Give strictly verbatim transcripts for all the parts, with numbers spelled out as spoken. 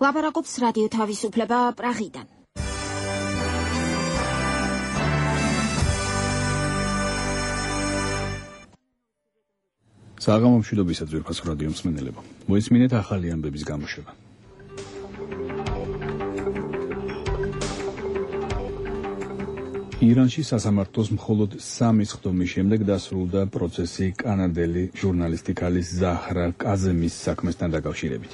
ლაპარაკობს რადიო თავისუფლება პრაღიდან. საღამო მშვიდობისა ძვირფას რადიო მსმენელებო. მოისმინეთ ახალი ამბების გამოშვება. ირანში სასამართლოს მხოლოდ სამი სხდომის შემდეგ დასრულდა პროცესი კანადელი ჟურნალისტი ქალის ზაჰრა კაზემის საქმესთან დაკავშირებით.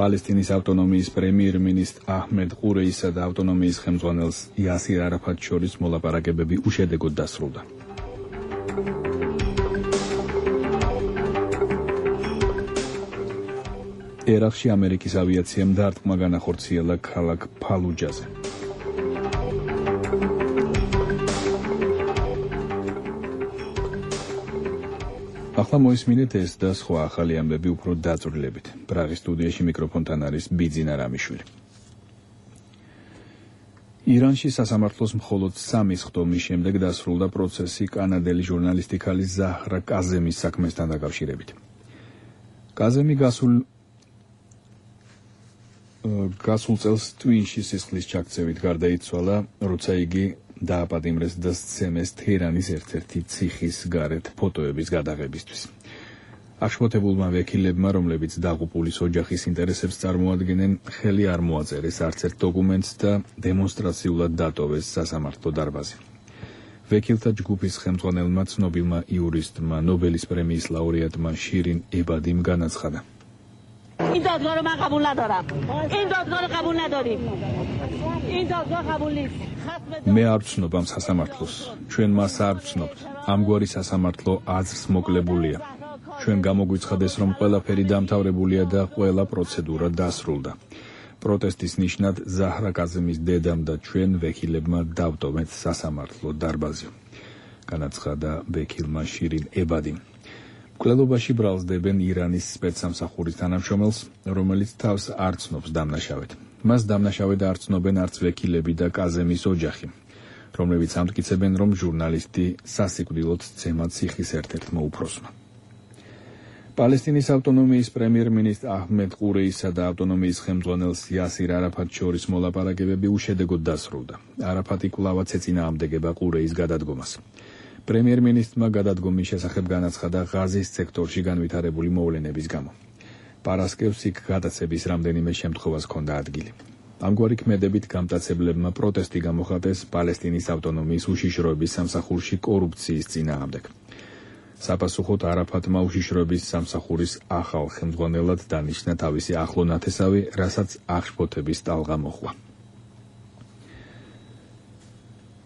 პალესტინის ავტონომიის პრემიერ-მინისტრ აჰმედ ყურეისა და ავტონომიის ხელმძღვანელს იასირ არაფატს შორის მოლაპარაკებები უშედეგოდ დასრულდა. ერაყში ამერიკის ავიაციამ დარტყმა განახორციელა ქალაქ ფალუჯაზე. ახლა მოისმინეთ ეს და სხვა ახალი ამბები უფრო დაწვრილებით. პრაღის სტუდიაში მიკროფონთან არის ბიძინა რამიშვილი. ირანში სასამართლოს მხოლოდ სამი სხდომის შემდეგ დასრულდა პროცესი კანადელი ჟურნალისტი ქალის ზაჰრა კაზემის საქმესთან დაკავშირებით. კაზემი გასულ გასულ წელს ტვინში სისხლის ჩაქცევით გარდაიცვალა, როცა იგი დააპატიმრეს და სცემეს თეირანის ერთ-ერთი ციხის გარეთ ფოტოების გადაღებისთვის. აღშფოთებულმა ვექილებმა, რომლებიც დაღუპულის ოჯახის ინტერესებს წარმოადგენენ, ხელი არ მოაწერეს არც ერთ დოკუმენტს და დემონსტრაციულად დატოვეს სასამართლო დარბაზი. ვექილთა ჯგუფის ხელმძღვანელმა ცნობილმა იურისტმა, ნობელის პრემიის ლაურეატმა შირინ ებადიმ განაცხადა. این دادگاه رو من قبول ندارم. این دادگاه رو قبول نداریم. این دادگاه قبول نیست. მე არ ვცნობ ამ სასამართლოს. ჩვენ მას არ ვცნობთ. ამგვარი სასამართლო აზრს მოკლებულია. ჩვენ გამოგვიცხადეს, რომ ყველაფერი დამთავრებულია და ყველა პროცედურა დასრულდა. პროტესტის ნიშნად ზაჰრა კაზემის დედამ და ჩვენ ვექილებმა დავტოვეთ სასამართლო დარბაზი. განაცხადა ვექილმა შირინ ებადიმ. მკვლელობაში ბრალსდებენ ირანის სპეცსამსახურის თანამშრომელს, რომელიც თავს არ ცნობს დამნაშავედ. მას დამნაშავედ არ ცნობენ არც ვექილები და კაზემის ოჯახი, რომლებიც ამტკიცებენ, რომ ჟურნალისტი სასიკვდილოდ სცემა ციხის ერთ-ერთმა უფროსმა. პალესტინის ავტონომიის პრემიერ-მინისტრ აჰმედ ყურეისა და ავტონომიის ხელმძღვანელს იასირ არაფატს შორის მოლაპარაკებები უშედეგოდ დასრულდა. არაფატი კვლავაც ეწინააღმდეგება ყურეის გადადგომას. პრემიერ-მინისტრმა გადადგომის შესახებ განაცხადა ღაზის სექტორში განვითარებული მოვლენების გამო. პარასკევს იქ გადაცების რამდენიმე შემთხვევას ჰქონდა ადგილი. ამგვარი ქმედებით გამტაცებლებმა პროტესტი გამოხატეს პალესტინის ავტონომიის უშიშროების სამსახურში კორუფციის წინააღმდეგ. საპასუხოდ არაფატმა უშიშროების სამსახურის ახალ ხელმძღვანელად დანიშნა თავისი ახლო ნათესავი, რასაც აღშფოთების ტალღა მოჰყვა.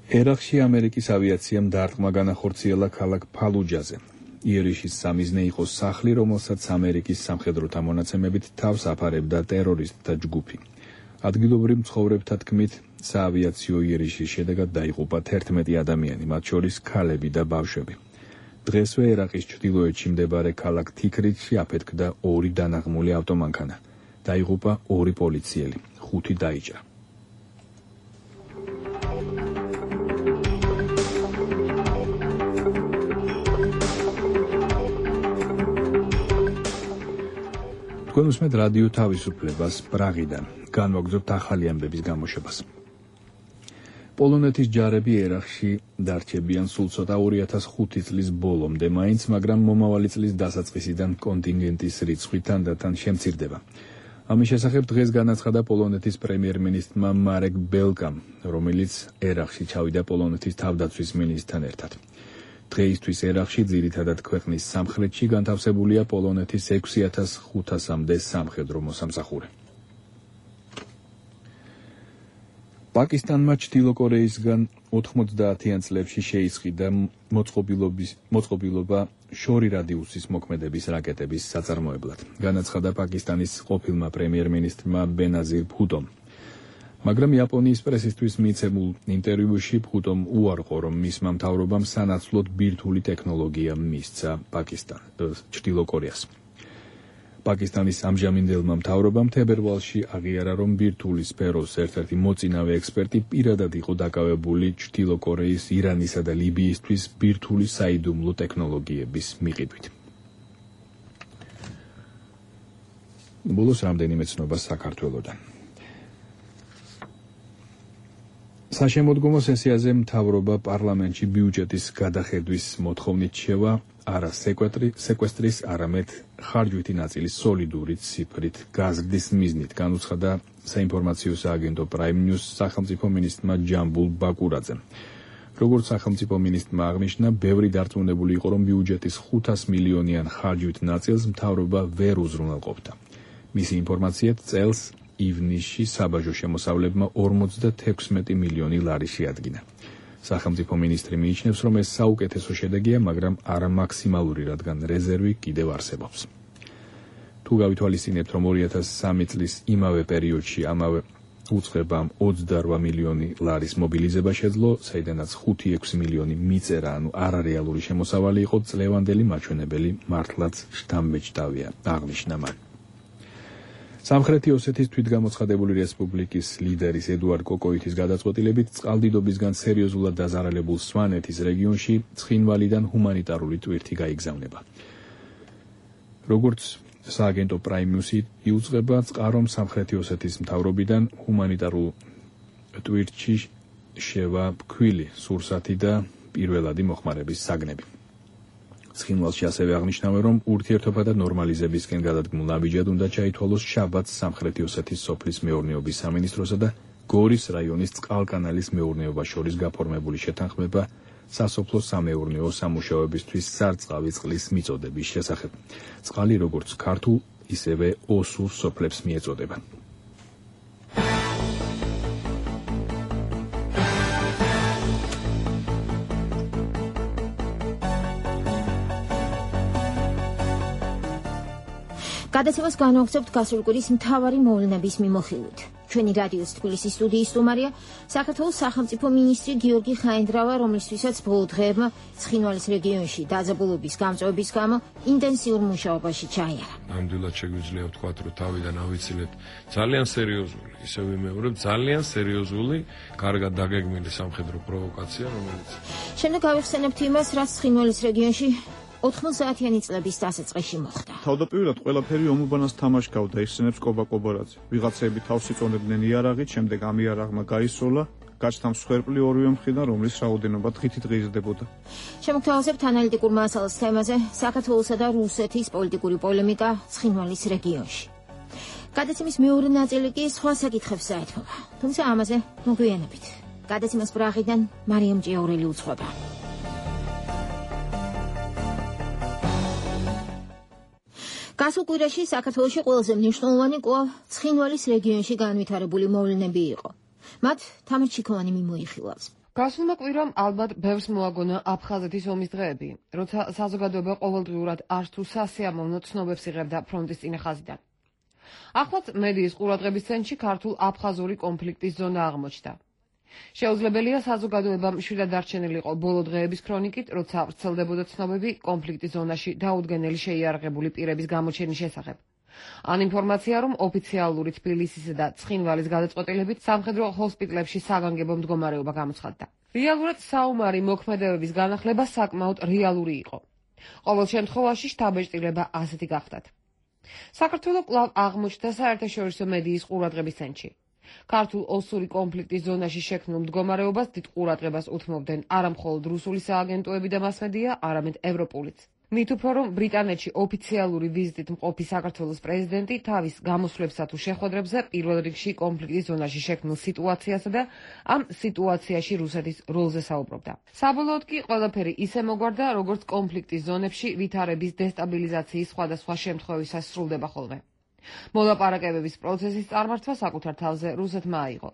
ერაყში ამერიკის ავიაციამ დარტყმა განახორციელა ქალაქ ფალუჯაზე. იერიშის სამიზნე იყო სახლი, რომელსაც ამერიკის სამხედროთა მონაცემებით თავს აფარებდა ტერორისტთა ჯგუფი. ადგილობრივ მცხოვრებთა თქმით, საავიაციო იერიშის შედეგად დაიღუპა თერთმეტი ადამიანი, მათ შორის ქალები და ბავშვები. დღესვე ერაყის ჩრდილოეთში მდებარე ქალაქ თიქრითში აფეთქდა ორი დანაღმული ავტომანქანა. დაიღუპა ორი პოლიციელი, ხუთი დაიჭრა. თქვენ უსმენთ რადიო თავისუფლებას პრაღიდან. განვაგრძობთ ახალი ამბების გამოშვებას. პოლონეთის ჯარები ერაყში დარჩებიან სულ ცოტა ორი ათას ხუთი წლის ბოლომდე მაინც, მაგრამ მომავალი წლის დასაწყისიდან კონტინგენტის რიცხვი თანდათან შემცირდება. ამის შესახებ დღეს განაცხადა პოლონეთის პრემიერ-მინისტრმა მარეკ ბელკამ, რომელიც ერაყში ჩავიდა პოლონეთის თავდაცვის მინისტრთან ერთად. დღეისთვის ერაყში ძირითადად ქვეყნის სამხრეთში განთავსებულია პოლონეთის ექვსი ათას ხუთასამდე სამხედრო მოსამსახურე. პაკისტანმა ჩრდილოკორეისგან ოთხმოცდაათიან წლებში შეისყიდა მოწყობილობა შორი რადიუსის მოქმედების რაკეტების საწარმოებლად. განაცხადა პაკისტანის ყოფილმა პრემიერ-მინისტრმა ბენაზირ ბჰუტომ. მაგრამ იაპონიის პრესისთვის მიცემულ ინტერვიუში ბჰუტომ უარყო, რომ მისმა მთავრობამ სანაცვლოდ ბირთვული ტექნოლოგია მისცა პაკისტანს, ჩრდილოკორეას. პაკისტანის ამჟამინდელმა მთავრობამ თებერვალში აღიარა, რომ ბირთვული სფეროს ერთ-ერთი მოწინავე ექსპერტი პირადად იყო დაკავებული ჩრდილოკორეის, ირანისა და ლიბიისთვის ბირთვული საიდუმლო ტექნოლოგიების მიყიდვით. ბოლოს რამდენიმე ცნობა საქართველოდან. საშემოდგომო სესიაზე მთავრობა პარლამენტში ბიუჯეტის გადახედვის მოთხოვნით შევა არა სეკვესტრის, არამედ ხარჯვითი ნაწილის სოლიდური ციფრით გაზრდის მიზნით, განუცხადა საინფორმაციო სააგენტო Prime News სახელმწიფო მინისტრმა ჯამბულ ბაკურაძემ. როგორც სახელმწიფო მინისტრმა აღნიშნა, ბევრი დარწმუნებული იყო, რომ ბიუჯეტის ხუთას მილიონიან ხარჯვით ნაწილს მთავრობა ვერ უზრუნველყოფდა. მისი ინფორმაციით წელს ივნისში საბაჟო შემოსავლებმა ორმოცდათექვსმეტი მილიონი ლარი შეადგინა. სახელმწიფო მინისტრი მიიჩნევს, რომ ეს საუკეთესო შედეგია, მაგრამ არა მაქსიმალური, რადგან რეზერვი კიდევ არსებობს. თუ გავითვალისწინებთ, რომ ორი ათას სამი წლის იმავე პერიოდში ამავე უწყებამ ოცდარვა მილიონი ლარის მობილიზება შეძლო, საიდანაც ხუთი ექვსი მილიონი მიწერა, ანუ არარეალური შემოსავალი იყო, წლევანდელი მაჩვენებელი მართლაც შთამბეჭდავია, აღნიშნა მან. სამხრეთი ოსეთის თვითგამოცხადებული რესპუბლიკის ლიდერის ედუარდ კოკოითის გადაწყვეტილებით წყალდიდობისგან სერიოზულად დაზარალებულ სვანეთის რეგიონში ცხინვალიდან ჰუმანიტარული ტვირთი გაიგზავნება. როგორც სააგენტო Prime News-ი იუწყება, წყარომ სამხრეთი ოსეთის მთავრობიდან ჰუმანიტარულ ტვირთში შევა ფქვილი, სურსათი და პირველადი მოხმარების საგნები. ცხინვალში ასევე აღნიშნავენ, რომ ურთიერთობა და ნორმალიზებისკენ გადადგმულ ნაბიჯად უნდა ჩაითვალოს შაბათს სამხრეთი ოსეთის სოფლის მეურნეობის სამინისტროსა და გორის რაიონის წყალკანალის მეურნეობას შორის გაფორმებული შეთანხმება სასოფლო სამეურნეო სამუშაოებისთვის სარწყავი წყლის მიწოდების შესახებ. წყალი როგორც ქართულ, ისევე ოსურ სოფლებს მიეწოდება. გადაცემას განვახცობთ გასული კვირის მთავარი მოვლენების მიმოხილვით. ჩვენი რადიოს თბილისის სტუდიის სტუმარია საქართველოს სახელმწიფო მინისტრი გიორგი ხაინდრავა, რომლისთვისაც ბოლო დღეებმა ცხინვალის რეგიონში დაძაბულობის გამწვევების გამო ინტენსიურ მუშაობაში ჩაიარა. ნამდვილად შეგვიძლია ვთქვათ, რომ თავიდან ავიცილეთ ძალიან სერიოზული, ისე ვიმეორებ, ძალიან სერიოზული, კარგად დაგეგმილი სამხედრო პროვოკაცია, რომელიც შემდეგ გავიხსენებთ იმას, რაც ცხინვალის რეგიონში ოთხმოცდაათიანი წლების დასაწყისში მოხდა. თავდაპირველად ყველაფერი ომუბანას თამაშგავდა, იხსენებს კობა კობორაძე. ვიღაცები თავს იწონებდნენ იარაღით, შემდეგ ამ იარაღმა გაისროლა, გაჩნდა მსხვერპლი ორივე მხრიდან, რომლის რაოდენობა დღითით ღირსდებოდა. შემოგთავაზებთ ანალიტიკურ მასალას თემაზე საქართველოსა და რუსეთის პოლიტიკური პოლემიკა ცხინვალის რეგიონში. გადაცემის მეორე ნაწილი კი სხვა საკითხებს საერთოდ. თუმცა ამაზე მოგვიანებით. გადაცემას პრაღიდან მარიამ ჭიაურელი უძღვება. გასულ კვირაში საქართველოში ყველაზე მნიშვნელოვანი კვლავ ცხინვალის რეგიონში განვითარებული მოვლენები იყო. მათ თამარ ჩიქოვანი მიმოიხილავს. გასულმა კვირამ ალბათ ბევრს მოაგონა აფხაზეთის ომის დღეები, როცა საზოგადოება ყოველდღიურად არც თუ სასიამოვნო ცნობებს იღებდა ფრონტის წინა ხაზიდან. ახლაც მედიის ყურადღების ცენტრში ქართულ-აფხაზური კონფლიქტის ზონა აღმოჩნდა. შეუძლებელია საზოგადოებამ მშვიდად დარჩენილიყო ბოლო დღეების ქრონიკით, როცა ვრცელდებოდა ცნობები კონფლიქტის ზონაში დაუდგენელი შეიარაღებული პირების გამოჩენის შესახებ. ან ინფორმაცია, რომ ოფიციალური თბილისისა და ცხინვალის გადაწყვეტილებით სამხედრო ჰოსპიტლებში საგანგებო მდგომარეობა გამოცხადდა. რეალურად საომარი მოქმედებების განახლება საკმაოდ რეალური იყო. ყოველ შემთხვევაში შთაბეჭდილება ასეთი გახდათ. საქართველო კვლავ აღმოჩნდა საერთაშორისო მედიის ყურადღების ცენტრში. ქართულ-ოსური კონფლიქტის ზონაში შექმნილ მდგომარეობას დიდ ყურადღებას უთმობდნენ არა მხოლოდ რუსული სააგენტოები და მასმედია, არამედ ევროპულიც. მით უფრო რომ ბრიტანეთში ოფიციალური ვიზიტით მყოფი საქართველოს პრეზიდენტი თავის გამოსვლებსა თუ შეხვედრებზე პირველ რიგში კონფლიქტის ზონაში შექმნილ სიტუაციასა და ამ სიტუაციაში რუსეთის როლზე საუბრობდა. საბოლოოდ კი ყველაფერი ისე მოგვარდა, როგორც კონფლიქტის ზონებში ვითარების დესტაბილიზაციის სხვადასხვა შემთხვევისას სრულდება ხოლმე. მოლაპარაკებების პროცესის წარმართვა საკუთარ თავზე რუსეთმა აიღო,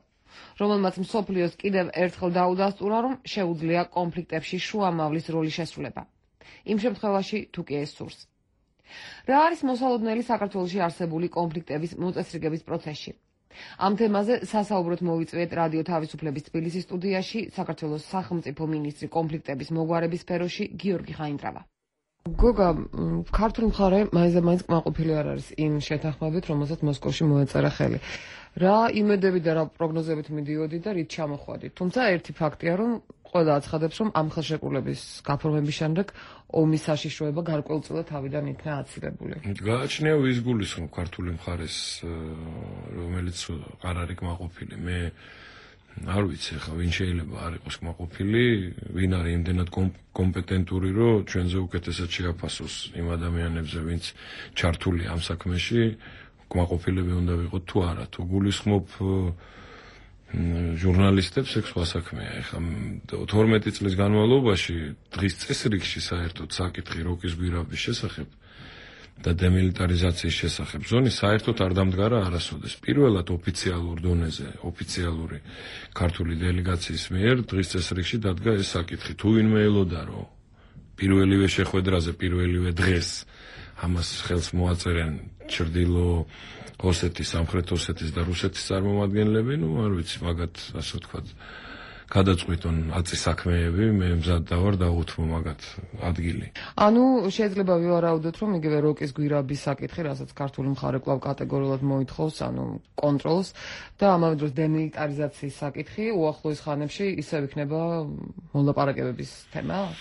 რომელმაც მსოფლიოს კიდევ ერთხელ დაუდასტურა, რომ შეუძლია კონფლიქტებში შუამავლის როლის შესრულება. იმ შემთხვევაში თუ კი ეს სურს. რა არის მოსალოდნელი საქართველოში არსებული კონფლიქტების მოწესრიგების პროცესში? ამ თემაზე სასაუბროდ მოვიწვიეთ რადიო თავისუფლების თბილისის სტუდიაში საქართველოს სახელმწიფო მინისტრი კონფლიქტების მოგვარების სფეროში გიორგი ხაინდრავა. გოგა, ქართული მხარე მაინც და მაინც კმაყოფილი არ არის იმ შეთანხმებით, რომელსაც მოსკოვში მოეწერა ხელი. რა იმედები და რა პროგნოზებით მიდიოდი და რით ჩამოხვედი. თუმცა ერთი ფაქტია, რომ ყველა აცხადებს, რომ ამ ხელშეკრულების გაფორმების შემდეგ ომის საშიშროება გარკვეულწილად თავიდან იქნა აცილებული. გააჩნია ვის გულისხმობ ქართული მხარეს, რომელიც არ არის კმაყოფილი. მე არ ვიცი ხა ვინ შეიძლება არ იყოს კმაყოფილი, ვინ არის იმდენად კომპეტენტური, რომ ჩვენზე უკეთესად შეაფასოს იმ ადამიანებზე, ვინც ჩართული ამ საქმეში, კმაყოფილები უნდა ვიყოთ თუ არა, თუ გულისხმობ ჟურნალისტებს ეს სხვა საქმეა. ეხლა თორმეტი წლის განმავლობაში დღის წესრიგში საერთოდ საკითხი როკის გვირაბის შესახებ და დემილიტარიზაციის შესახებ ზონი საერთოდ არ დამდგარა არასოდეს. პირველად ოფიციალურ დონეზე, ოფიციალური ქართული დელეგაციის მიერ დღის წესრიგში დადგა ეს საკითხი. თუ ვინმე ელოდა, რომ პირველივე შეხვედრაზე, პირველივე დღეს ამას ხელს მოაწერენ ჩრდილო ოსეთის, სამხრეთ ოსეთის და რუსეთის წარმომადგენლები, ну, არ ვიცი, მაგათ, ასე ვთქვათ, გადაწყვიტონ აწი საქმეები, მე მზად დავარ დაუთმო მაგათ ადგილი. ანუ შეიძლება ვივარაუდოთ, რომ იგივე როკის გვირაბის საკითხი, რასაც ქართული მხარე კვლავ კატეგორიულად მოითხოვს, ანუ კონტროლს და ამავე დროს დემილიტარიზაციის საკითხი უახლოეს ხანებში ისევ იქნება მოლაპარაკებების თემა?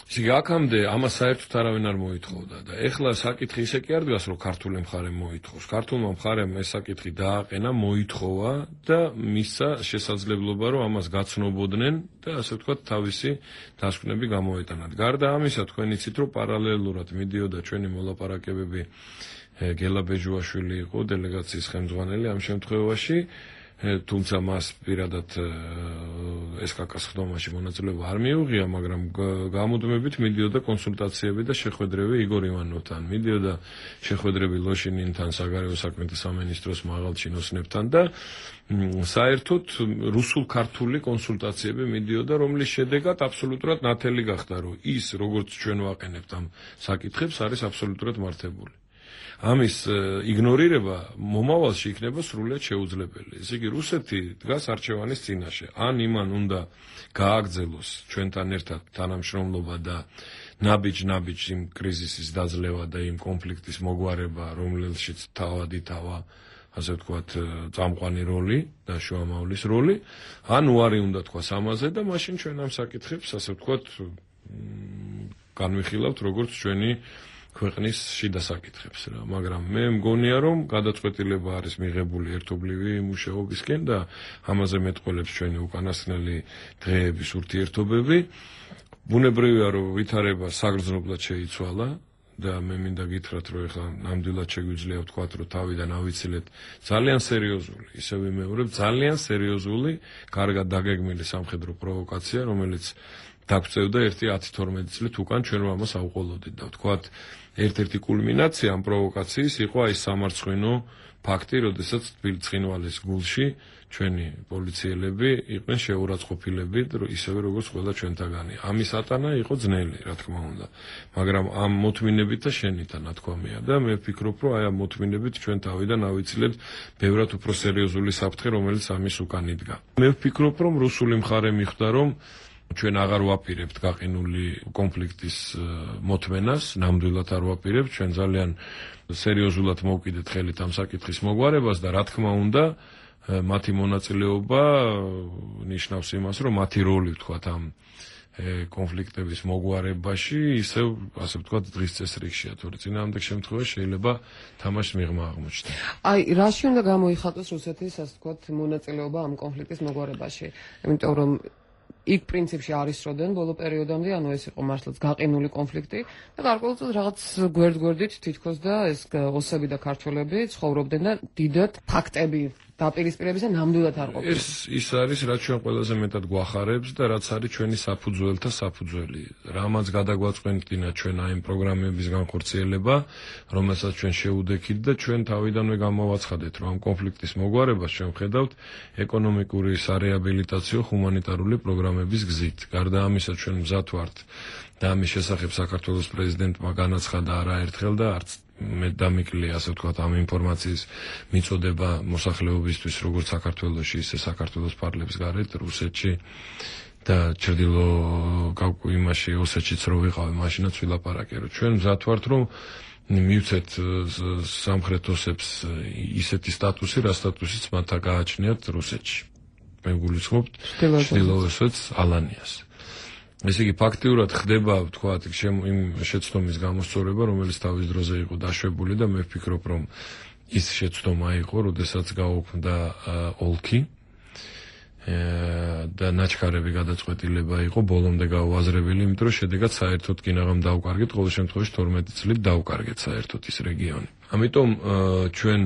ისე აქამდე ამას საერთოდ არავინ არ მოითხოვდა და ეხლა საკითხი ისე კი არ დგას, რომ ქართული მხარე მოითხოვს. ქართულმა მხარემ ეს საკითხი დააყენა, მოითხოვა და მისცა შესაძლებლობა, რომ ამას გაცნობოდნენ და ასე ვთქვათ, თავისი დასკვნები გამოეტანათ. გარდა ამისა, თქვენ იცით, რომ პარალელურად მიდიოდა ჩვენი მოლაპარაკებები, გელა ბეჯუაშვილი იყო დელეგაციის ხელმძღვანელი ამ შემთხვევაში. თუმცა მას პირადად ესკაკას ხდომაში მონაწილეობა არ მიუღია, მაგრამ გამუდმებით მიდიოდა კონსულტაციები და შეხვედრები იგორ ივანოვთან, მიდიოდა შეხვედრები ლოშინინთან, საგარეო საქმეთა სამინისტროს მაღალ ჩინოსნებთან და საერთოდ რუსულ-ქართული კონსულტაციები მიდიოდა, რომლის შედეგად აბსოლუტურად ნათელი გახდა, რომ ის, როგორც ჩვენ ვაყენებთ ამ საკითხებს, არის აბსოლუტურად მართებული. ამის იგნორირება მომავალში იქნება სრულიად შეუძლებელი. ესე იგი, რუსეთი დგას არჩევანის წინაშე. ან იმან უნდა გააგრძელოს ჩვენთან ერთად თანამშრომლობა და ნაბიჯ-ნაბიჯ იმ კრიზისის დაძლევა და იმ კონფლიქტის მოგვარება, რომელშიც თავადი თავა, ასე ვთქვათ, წამყვანი როლი და შუამავლის როლი, ან უარი უნდა თქვას ამაზე და მაშინ ჩვენ ამ საკითხებს, ასე ვთქვათ, განვიხილავთ როგორც ჩვენი ქვეყნის შიდა საკითხებს რა, მაგრამ მე მგონია, რომ გადაწყვეტილება არის მიღებული ერთობლივი მუშაობისკენ და ამაზე მეტყველებს ჩვენი უკანასკნელი დღეების ურთიერთობები. ბუნებრივია, რომ ვითარება საგრძნობლად შეიცვალა და მე მინდა გითხრათ, რომ ეხლა ნამდვილად შეგვიძლია ვთქვათ, რომ თავიდან ავიცილეთ ძალიან სერიოზული, ისე ვიმეორებ, ძალიან სერიოზული, კარგად დაგეგმილი სამხედრო პროვოკაცია, რომელიც დაგწევდა ერთი ათი თორმეტი წლით უკან ჩვენ ამას ავყოლოდით და ვთქვათ, ერთ-ერთი კულმინაცია ამ პროვოკაციის იყო აი სამარცხვინო ფაქტი, როდესაც თბილისწყინვალის გულში ჩვენი პოლიციელები იყვნენ შეურაცხყოფილები, ისევე როგორც ყველა ჩვენთაგანი. ამის ატანა იყო ძნელი, რა თქმა უნდა, მაგრამ ამ მოთმინებით და შენითა ნათქვამია და მე ვფიქრობ, რომ აი ამ მოთმინებით ჩვენ თავიდან ავიცილეთ ბევრად უფრო სერიოზული საფრთხე, რომელიც ამის უკან იდგა. მე ვფიქრობ, რომ რუსული მხარე მიხვდა, რომ ჩვენ აღარ ვაპირებთ გაყინული კონფლიქტის მოთმენას, ნამდვილად არ ვაპირებთ, ჩვენ ძალიან სერიოზულად მოვკიდეთ ხელით ამ საკითხის მოგვარებას და რა თქმა უნდა, მათი მონაწილეობა ნიშნავს იმას, რომ მათი როლი ვთქვათ ამ კონფლიქტების მოგვარებაში ისევ, ასე ვთქვათ, დღის წესრიგშია, თორე წინააღმდეგ შემთხვევაში შეიძლება თამაშს მიღმა აღმოჩნდეს. აი, რაში უნდა გამოიხატოს რუსეთის, ასე ვთქვათ, მონაწილეობა ამ კონფლიქტის მოგვარებაში? იმიტომ რომ იქ პრინციპში არ ისროდნენ ბოლო პერიოდამდე, ანუ ეს იყო მართლაც გაყინული კონფლიქტი და გარკვეულწილად რაღაც გვერდ-გვერდით თითქოს და ეს ოსები და ქართველები ცხოვრობდნენ და დიდად ფაქტები დაპირისპირების და ნამდვილად არ ყოფილა. ეს ის არის, რაც ჩვენ ყველაზე მეტად გვახარებს და რაც არის ჩვენი საფუძველთა საფუძველი. რამაც გადაგვაწყვეტინა ჩვენ აი ამ პროგრამების განხორციელება, რომელსაც ჩვენ შეუდექით და ჩვენ თავიდანვე გამოვაცხადეთ, რომ ამ კონფლიქტის მოგვარებას ჩვენ ვხედავთ ეკონომიკური სარეაბილიტაციო ჰუმანიტარული პროგრამების გზით. გარდა ამისა, ჩვენ მზად ვართ და ამის შესახებ საქართველოს პრეზიდენტმა განაცხადა არაერთხელ და არც მე დამიკლე, ასე ვთქვათ, ამ ინფორმაციის მიწოდება მოსახლეობისთვის, როგორც საქართველოში, ისე საქართველოს პარლამენტის გარეთ, რუსეთში და ჩრდილო კავკასიაში, ოსეთშიც რო ვიყავი, მაშინაც ვილაპარაკე, რომ ჩვენ მზად ვართ, რომ მივცეთ სამხრეთ ოსებს ისეთი სტატუსი, რა სტატუსიც მათ გააჩნიათ რუსეთში. მე გულისხმობ ჩრდილო ოსეთს, ალანიას. ესე იგი ფაქტიურად ხდება თქვათ იმ შეცდომის გამოსწორება, რომელიც თავის დროზე იყო დაშვებული და მე ვფიქრობ, რომ ის შეცდომა იყო, როდესაც გაუქმდა ოლქი და ნაჩქარები გადაწყვეტილება იყო ბოლომდე გაუაზრებელი, იმიტომ რომ შედეგად საერთოდ კინაღამ დაუკარგეთ, ყოველ შემთხვევაში თორმეტი წლით დაუკარგეთ საერთოდ ის რეგიონი. ამიტომ ჩვენ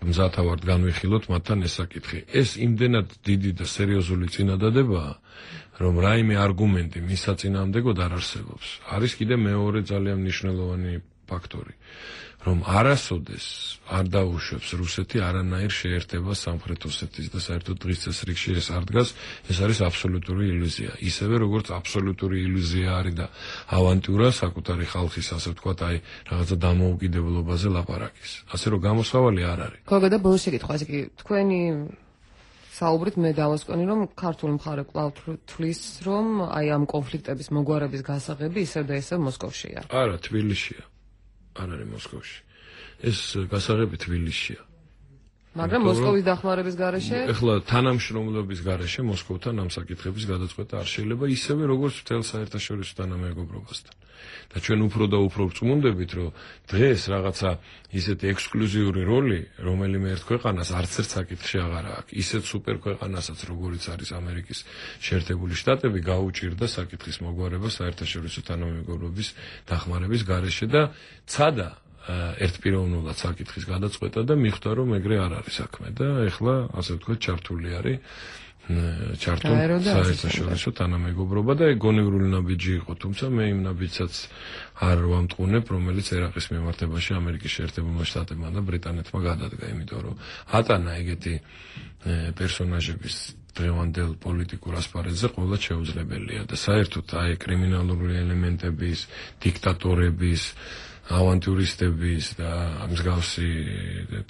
მზათა ვართ განვიხილოთ მათთან ეს საკითხი. ეს იმდენად დიდი და სერიოზული წინადადებაა, რომ რაიმე არგუმენტი მის საწინააღმდეგოდ არ არსებობს. არის კიდე მეორე ძალიან მნიშვნელოვანი ფაქტორი, რომ არასოდეს არ დაუშვებს რუსეთი არანაირ შეერთებას სამხრეთ ოსეთის და საერთოდ დღის წესრიგში ეს არ დგას, ეს არის აბსოლუტური ილუზია. ისევე როგორც აბსოლუტური ილუზია არის და ავანტიურა საკუთარი ხალხის, ასე ვთქვათ, აი რაღაცა დამოუკიდებლობაზე ლაპარაკის. ასე რომ გამოსავალი არ არის. გოგოდა ბოლო შეკითხვა, ესე იგი თქვენი საუბრით მე დავასკვენი, რომ ქართული მხარე კვლავ თვლის, რომ აი ამ კონფლიქტების მოგვარების გასაღები ისევ და ისევ მოსკოვშია. არა, თბილისშია. არ არის მოსკოვში. ეს გასაღები თბილისშია. მაგრამ მოსკოვის დახმარების გარეშე? ეხლა თანამშრომლობის გარეშე მოსკოვთან ამ საკითხების გადაწყვეტა არ შეიძლება, ისევე როგორც მთელ საერთაშორისო თანამეგობრობასთან. და ჩვენ უფრო და უფრო ვწმუნდებით, რომ დღეს რაღაცა ისეთი ექსკლუზიური როლი, რომელიმე ერთ ქვეყანას არც ერთ საკითხში აღარ აქვს, ისეთ სუპერ ქვეყანასაც, როგორიც არის ამერიკის შეერთებული შტატები, გაუჭირდა საკითხის მოგვარება საერთაშორისო თანამეგობრობის დახმარების გარეშე და ცადა ერთპიროვნულად საკითხის გადაწყვეტა და მიხვდა, რომ ეგრე არ არის საქმე და ეხლა ასე ვთქვათ ჩართული არის ჩართულ საერთაშორისო თანამეგობრობა და გონივრული ნაბიჯი იყო, თუმცა მე იმ ნაბიჯსაც არ ვამტყუნებ, რომელიც ერაყის მიმართებაში ამერიკის შეერთებულმა შტატებმა და ბრიტანეთმა გადადგა, იმიტომ რომ ატანა ეგეთი პერსონაჟების დღევანდელ პოლიტიკურ ასპარეზზე ყველა შეუძლებელია და საერთოდ აი კრიმინალური ელემენტების, დიქტატორების ავანტიურისტების და მსგავსი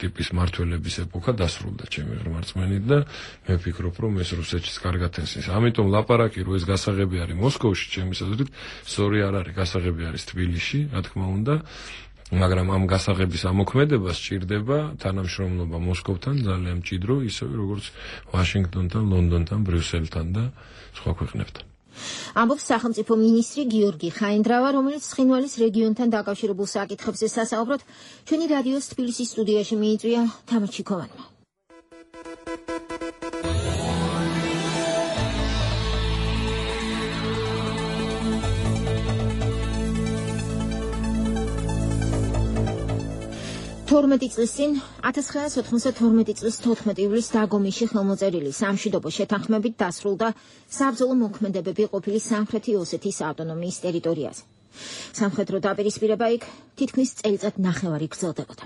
ტიპის მართველების ეპოქა დასრულდა ჩემი ღრმარწმენით და მე ვფიქრობ, რომ ეს რუსეთშიც კარგად ესმის. ამიტომ ლაპარაკი, რომ ეს გასაღები არის მოსკოვში, ჩემი აზრით, სწორი არ არის, გასაღები არის თბილისში, რა თქმა უნდა, მაგრამ ამ გასაღების ამოქმედებას სჭირდება თანამშრომლობა მოსკოვთან ძალიან მჭიდრო, ისევე როგორც ვაშინგტონთან, ლონდონთან, ბრიუსელთან და სხვა ქვეყნებთან. ამბობს სახელმწიფო მინისტრი გიორგი ხაინდრავა, რომელიც ცხინვალის რეგიონთან დაკავშირებულ საკითხებზე სასაუბროდ ჩვენი რადიოს თბილისის სტუდიაში მიიწვია თამარ ჩიქოვანმა. თორმეტი წლის წინ ათას ცხრაასი ოთხმოცდათორმეტი წლის თოთხმეტი ივლისს დაგომიში ხელმოწერილი სამშვიდობო შეთანხმებით დასრულდა საბრძოლო მოქმედებები ყოფილი სამხრეთი ოსეთის ავტონომიის ტერიტორიაზე. სამხედრო დაპირისპირება იქ თითქმის წელიწად ნახევარი გრძელდებოდა.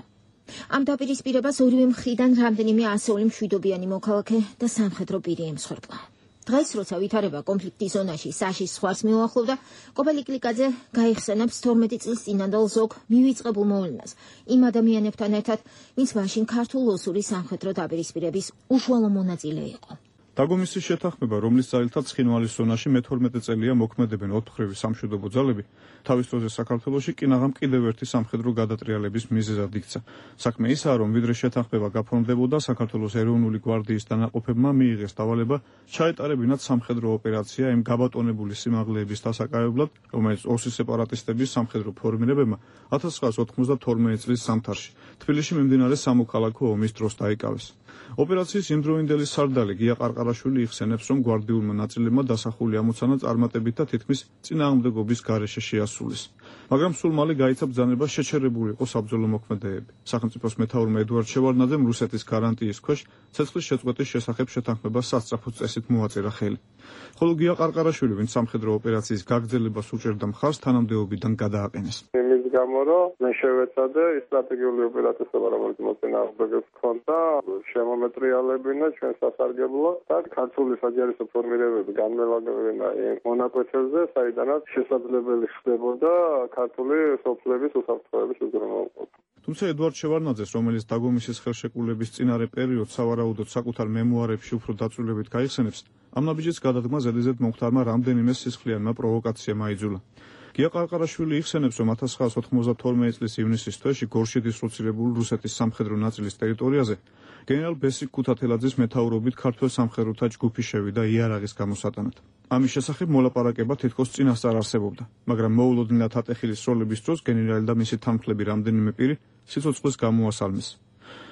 ამ დაპირისპირებას ორივე მხრიდან რამდენიმე ასეული მშვიდობიანი მოქალაქე და სამხედრო პირი ემსხვერპლა. დღეს, როცა ვითარება კონფლიქტის ზონაში საშის ზღვარს მიუახლოვდა, კობელი კლიკაძე გაიხსენებს თორმეტი წლის წინანდელ ზოგ მივიწყებულ მოვლენას იმ ადამიანებთან ერთად, ვინც მაშინ ქართულ-ოსური სამხედრო დაპირისპირების უშუალო მონაწილე იყო. დაგომისის შეთანხმება, რომლის ძალითაც ცხინვალის ზონაში მეთორმეტე წელია მოქმედებენ ოთხმხრივი სამშვიდობო ძალები, თავის დროზე საქართველოში კინაღამ კიდევ ერთი სამხედრო გადატრიალების მიზეზად იქცა. საქმე ისაა, რომ ვიდრე შეთანხმება გაფორმდებოდა, საქართველოს ეროვნული გვარდიის დანაყოფებმა მიიღეს დავალება ჩაეტარებინათ სამხედრო ოპერაცია იმ გაბატონებული სიმაღლეების დასაკავებლად, რომელიც ოსის სეპარატისტების სამხედრო ფორმირებებმა ათას ცხრაასი ოცდათორმეტი წლის ზამთარში თბილისში მიმდინარე სამოქალაქო ომის დროს დაიკავეს. ოპერაციის იმდროინდელი სარდალი გია ყარყარაშვილი იხსენებს, რომ გვარდიულმა ნაწილებმა დასახული ამოცანა წარმატებით და თითქმის წინააღმდეგობის გარეშე შეასრულეს. მაგრამ სულ მალე გაიცა ბრძანება შეჩერებული იყო საბრძოლო მოქმედებები. სახელმწიფოს მეთაურმა ედუარდ შევარდნაძემ რუსეთის გარანტიის ქვეშ ცეცხლის შეწყვეტის შესახებ შეთანხმებას სასწრაფო წესით მოაწერა ხელი. ხოლო გია ყარყარაშვილი, ვინც სამხედრო ოპერაციის გაგრძელებას უჭერდა მხარს, თანამდებობიდან გადააყენეს. იმის გამო, რომ მე შევეცადე ის სტრატეგიული ოპერაციები, რომელიც მოწინააღმდეგეს ჰქონდა, შემომეტრიალებინა ჩვენ სასარგებლოდ და ქართული საჯარო ფორმირებები განმეორებინა მონაკვეთებზე, საიდანაც შესაძლებელი ხდებოდა ქართული სოფლების უსაფრთხოების უზრუნველყოფა. თუმცა ედუარდ შევარდნაძეს, რომელიც დაგომისის ხელშეკრულების წინარე პერიოდს სავარაუდოდ საკუთარ მემუარებში უფრო დაწვრილებით გაიხსენებს, ამ ნაბიჯის გადადგმა ზედიზედ მომხდარმა რამდენიმე სისხლიანმა პროვოკაციამ აიძულა. გია ყარყარაშვილი იხსენებს, რომ ათას ცხრაასი ოთხმოცდათორმეტი წლის ივნისის თვეში გორშეთის რუსირებული რუსეთის სამხედრო ნაწილის ტერიტორიაზე გენერალ ბესიკ ქუთათელაძის მეთაურობით ქართველ სამხედროთა ჯგუფი შევიდა იარაღის გამოსატანად. ამის შესახებ მოლაპარაკება თითქოს წინასწარ არსებობდა, მაგრამ მოულოდნელად ატეხილის სროლების დროს გენერალი და მისი თანმხლები რამდენიმე პირი სიცოცხლეს გამოასალმეს.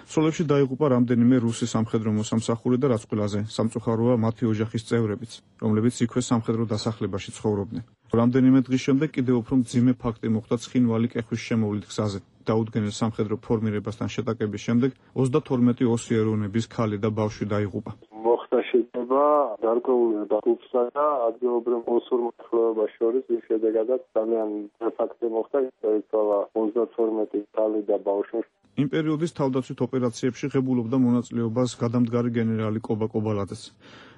სროლებში დაიღუპა რამდენიმე რუსი სამხედრო მოსამსახურე და რაც ყველაზე სამწუხაროა მათი ოჯახის წევრებიც, რომლებიც იქვე სამხედრო დასახლებაში ცხოვრობდნენ. რამდენიმე დღის შემდეგ კიდევ უფრო მძიმე ფაქტი მოხდა ცხინვალი კეხვის შემოვლით გზაზე. დაუდგენელ სამხედრო ფორმირებასთან შეტაკების შემდეგ ოცდათორმეტი ოსი ეროვნების ქალი და ბავშვი დაიღუპა. მოხდა შეტევა გარკვეული დაგუპსა და ადგილობრივ ოსურ მოხელეობას შორის, რის შედეგადაც ძალიან ფაქტი მოხდა, დაიცვალა ოცდათორმეტი ქალი და ბავშვი. იმ პერიოდის თავდაცვით ოპერაციებში ღებულობდა მონაწილეობას გადამდგარი გენერალი კობა კობალაძეც.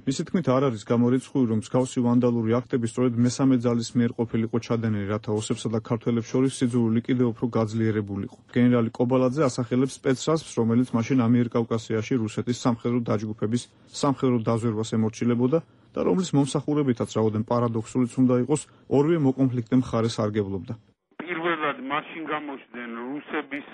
მისი თქმით არ არის გამორიცხული, რომ მსგავსი ვანდალური აქტები სწორედ მესამე ძალის მიერ ყოფილიყო ჩადენილი, რათა ოსებსა და ქართველებს შორის სიძულვილი კიდევ უფრო გაძლიერებულიყო. გენერალი კობალაძე ასახელებს სპეცრაზს, რომელიც მაშინ ამიერკავკასიაში რუსეთის სამხედრო დაჯგუფების სამხედრო დაზვერვას ემორჩილებოდა და რომლის მომსახურებითაც რაოდენ პარადოქსულიც უნდა იყოს, ორივე მოკონფლიქტე მხარეს სარგებლობდა. პირველად მაშინ გამოჩნდნენ რუსების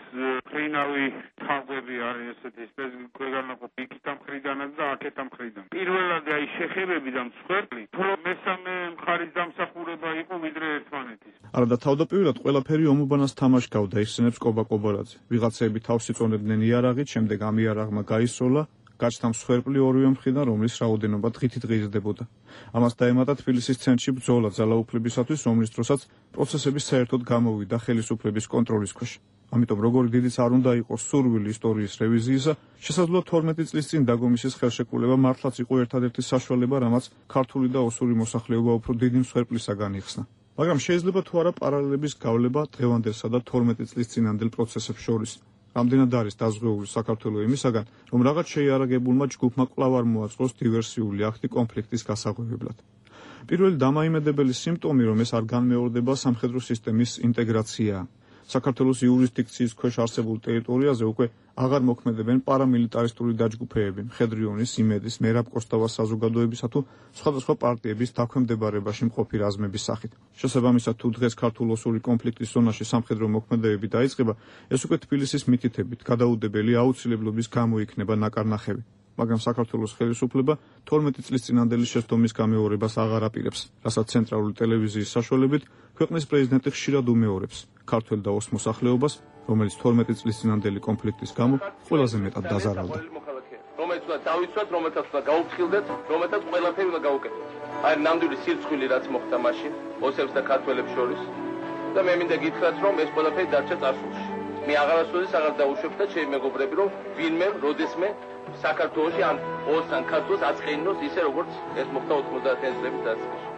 ფრინავი თაგვები არის ესეთი ქვეყანაყოფი იქიდან მხრიდანაც და აქეთან მხრიდან. პირველად აი შეხებები და მსხვერპლი, უფრო მესამე მხარის დამსახურება იყო ვიდრე ერთმანეთის. არა და თავდაპირველად ყველაფერი ომობანას თამაშკავდა, იხსენებს კობა კობალაძე. ვიღაცები თავს იწონებდნენ იარაღით, შემდეგ ამ იარაღმა გაისროლა გაჩნდა მსხვერპლი ორივე მხრიდან, რომლის რაოდენობა დღითით ღირსდებოდა. ამას დაემატა თბილისის ცენტრში ბრძოლა ძალაუფლებისათვის, რომლის დროსაც პროცესები საერთოდ გამოვიდა ხელისუფლების კონტროლის ქვეშ. ამიტომ როგორი დიდიც არ უნდა იყოს სურვილი ისტორიის რევიზიისა, შესაძლოა თორმეტი წლის წინ დაგომისის ხელშეკრულება მართლაც იყო ერთადერთი საშუალება, რამაც ქართული და ოსური მოსახლეობა უფრო დიდი მსხვერპლისაგან იხსნა. მაგრამ შეიძლება თუ არა პარალელების გავლება დღევანდელსა და თორმეტი წლის წინანდელ პროცესებს შორის. რამდენად არის დაზღვეული საქართველოს იმისაგან, რომ რაღაც შეიარაღებულმა ჯგუფმა კვლავ არ მოაწყოს დივერსიული აქტი კონფლიქტის გასაღვევებლად. პირველი დამაიმედებელი სიმპტომი, რომ ეს არ განმეორდება სამხედრო სისტემის ინტეგრაციაა. საქართველოს იურისდიქციის ქვეშ არსებულ ტერიტორიაზე უკვე აღარ მოქმედებენ პარამილიტარისტული დაჯგუფეები, მხედრიონის, იმედის, მერაბ კოსტავას საზოგადოებისა თუ სხვადასხვა პარტიების დაქვემდებარებაში მყოფი რაზმების სახით. შესაბამისად, თუ დღეს ქართულ-ოსური კონფლიქტის ზონაში სამხედრო მოქმედებები დაიწყება, ეს უკვე თბილისის მითითებით გადაუდებელი აუცილებლობის გამო იქნება ნაკარნახევი. მაგრამ საქართველოს ხელისუფლება თორმეტი წლის წინანდელი შეცდომის გამეორებას აღარ აპირებს, რასაც ცენტრალური ტელევიზიის საშუალებით ქვეყნის პრეზიდენტი ხშირად უმეორებს ქართველ და ოს მოსახლეობას, რომელიც თორმეტი წლის წინანდელი კონფლიქტის გამო ყველაზე მეტად დაზარალდა. რომელიც უნდა დავიცვათ, რომელთაც უნდა გაუფრთხილდეთ, რომელთაც ყველაფერი უნდა გაუკეთოთ. აი ნამდვილი სირცხვილი რაც მოხდა მაშინ ოსებს და ქართველებს შორის და მე მინდა გითხრათ, რომ ეს ყველაფერი დარჩა წარსულში. მე აღარასოდეს აღარ დაუშვებ და ჩემი მეგობრები, რომ ვინმე, როდესმე საქართველოში ან ოს ან ქართულს აწყენინოს ისე როგორც ეს მოხდა ოთხმოცდაათიანი წლების დასაწყისში.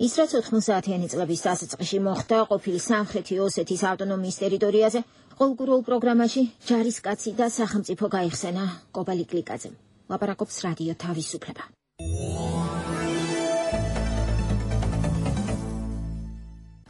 ის რაც ოთხმოცდაათიანი წლების დასაწყისში მოხდა ყოფილი სამხრეთი ოსეთის ავტონომიის ტერიტორიაზე, ყოველგვარულ პროგრამაში ჯარისკაცი და სახელმწიფო გაიხსენა კობალი გლიკაძემ. ლაპარაკობს რადიო თავისუფლება.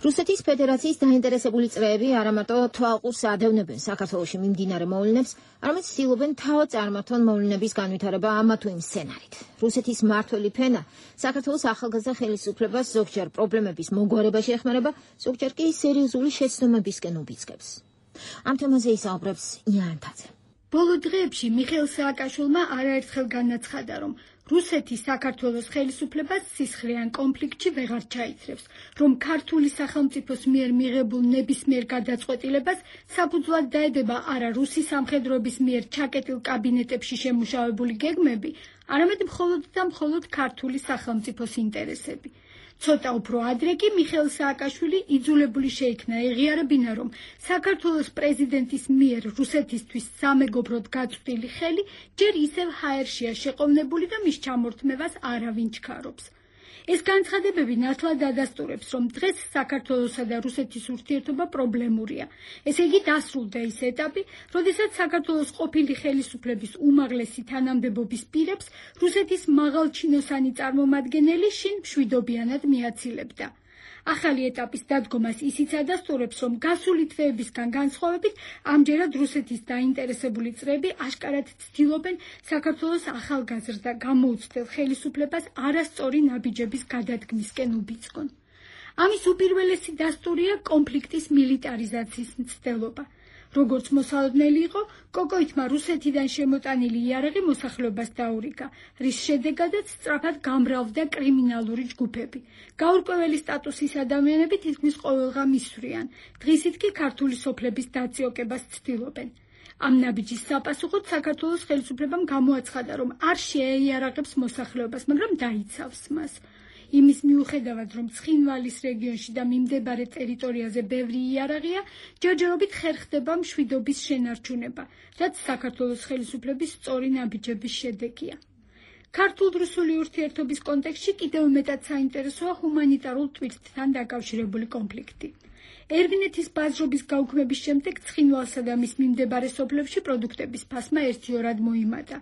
რუსეთის ფედერაციის დაინტერესებული წრეები არა მარტო თვალყურს ადევნებენ საქართველოში მიმდინარე მოვლენებს, არამედ ცდილობენ თავად წარმართონ მოვლენების განვითარება ამა თუ იმ სცენარით. რუსეთის მმართველი ფენა საქართველოს ახალგაზრდა ხელისუფლებას ზოგჯერ პრობლემების მოგვარებაში ეხმარება, ზოგჯერ კი სერიოზული შეცდომებისკენ უბიძგებს. ამ თემაზე ისაუბრებს იანთაძე. ბოლო დღეებში მიხეილ სააკაშვილმა არაერთხელ განაცხადა, რომ რუსეთი საქართველოს ხელისუფლებას სისხლიან კონფლიქტში ვეღარ ჩაიცრებს, რომ ქართული სახელმწიფოს მიერ მიღებულ ნებისმიერ გადაწყვეტილებას საფუძვლად დაედება არა რუსი სამხედროების მიერ ჩაკეტილ კაბინეტებში შემუშავებული გეგმები, არამედ მხოლოდ და მხოლოდ ქართული სახელმწიფოს ინტერესები. ცოტა უფრო ადრე კი მიხეილ სააკაშვილი იძულებული შეიქნა ეღიარებინა, რომ საქართველოს პრეზიდენტის მიერ რუსეთისთვის სამეგობროდ გაწვდილი ხელი ჯერ ისევ ჰაერშია შეყოვნებული და მის ჩამორთმევას არავინ ჩქარობს. ეს განცხადებები ნათლად ადასტურებს, რომ დღეს საქართველოსა და რუსეთის ურთიერთობა პრობლემურია. ესე იგი დასრულდა ის ეტაპი, როდესაც საქართველოს ყოფილი ხელისუფლების უმაღლესი თანამდებობის პირებს რუსეთის მაღალჩინოსანი წარმომადგენელი შინ მშვიდობიანად მიაცილებდა. ახალი ეტაპის დადგომას ისიც ადასტურებს, რომ გასული თვეებისგან განსხვავებით, ამჯერად რუსეთის დაინტერესებული წრეები აშკარად ცდილობენ საქართველოს ახალგაზრდა გამოუცდელ ხელისუფლებას არასწორი ნაბიჯების გადადგმისკენ უბიძგონ. ამის უპირველესი დასტურია კონფლიქტის მილიტარიზაციის მცდელობა. როგორც მოსალოდნელი იყო, კოკოითმა რუსეთიდან შემოტანილი იარაღი მოსახლეობას დაურიგა, რის შედეგადაც სწრაფად გამრავლდა კრიმინალური ჯგუფები. გაურკვეველი სტატუსის ადამიანები თითქმის ყოველღა მისვრიან, დღისით კი ქართული სოფლების დაწიოკებას ცდილობენ. ამ ნაბიჯის საპასუხოდ საქართველოს ხელისუფლებამ გამოაცხადა, რომ არ შეეიარაღებს მოსახლეობას, მაგრამ დაიცავს მას. იმის მიუხედავად, რომ ცხინვალის რეგიონში და მიმდებარე ტერიტორიაზე ბევრი იარაღია, ჯერჯერობით ხერხდება მშვიდობის შენარჩუნება, რაც საქართველოს ხელისუფლების სწორი ნაბიჯების შედეგია. ქართულ-რუსული ურთიერთობის კონტექსტში კიდევ მეტად საინტერესოა ჰუმანიტარულ ტვირთთან დაკავშირებული კონფლიქტი. ერვინეთის ბაზრობის გაუქმების შემდეგ ცხინვალსა და მის მიმდებარე სოფლებში პროდუქტების ფასმა ერთიორად მოიმატა.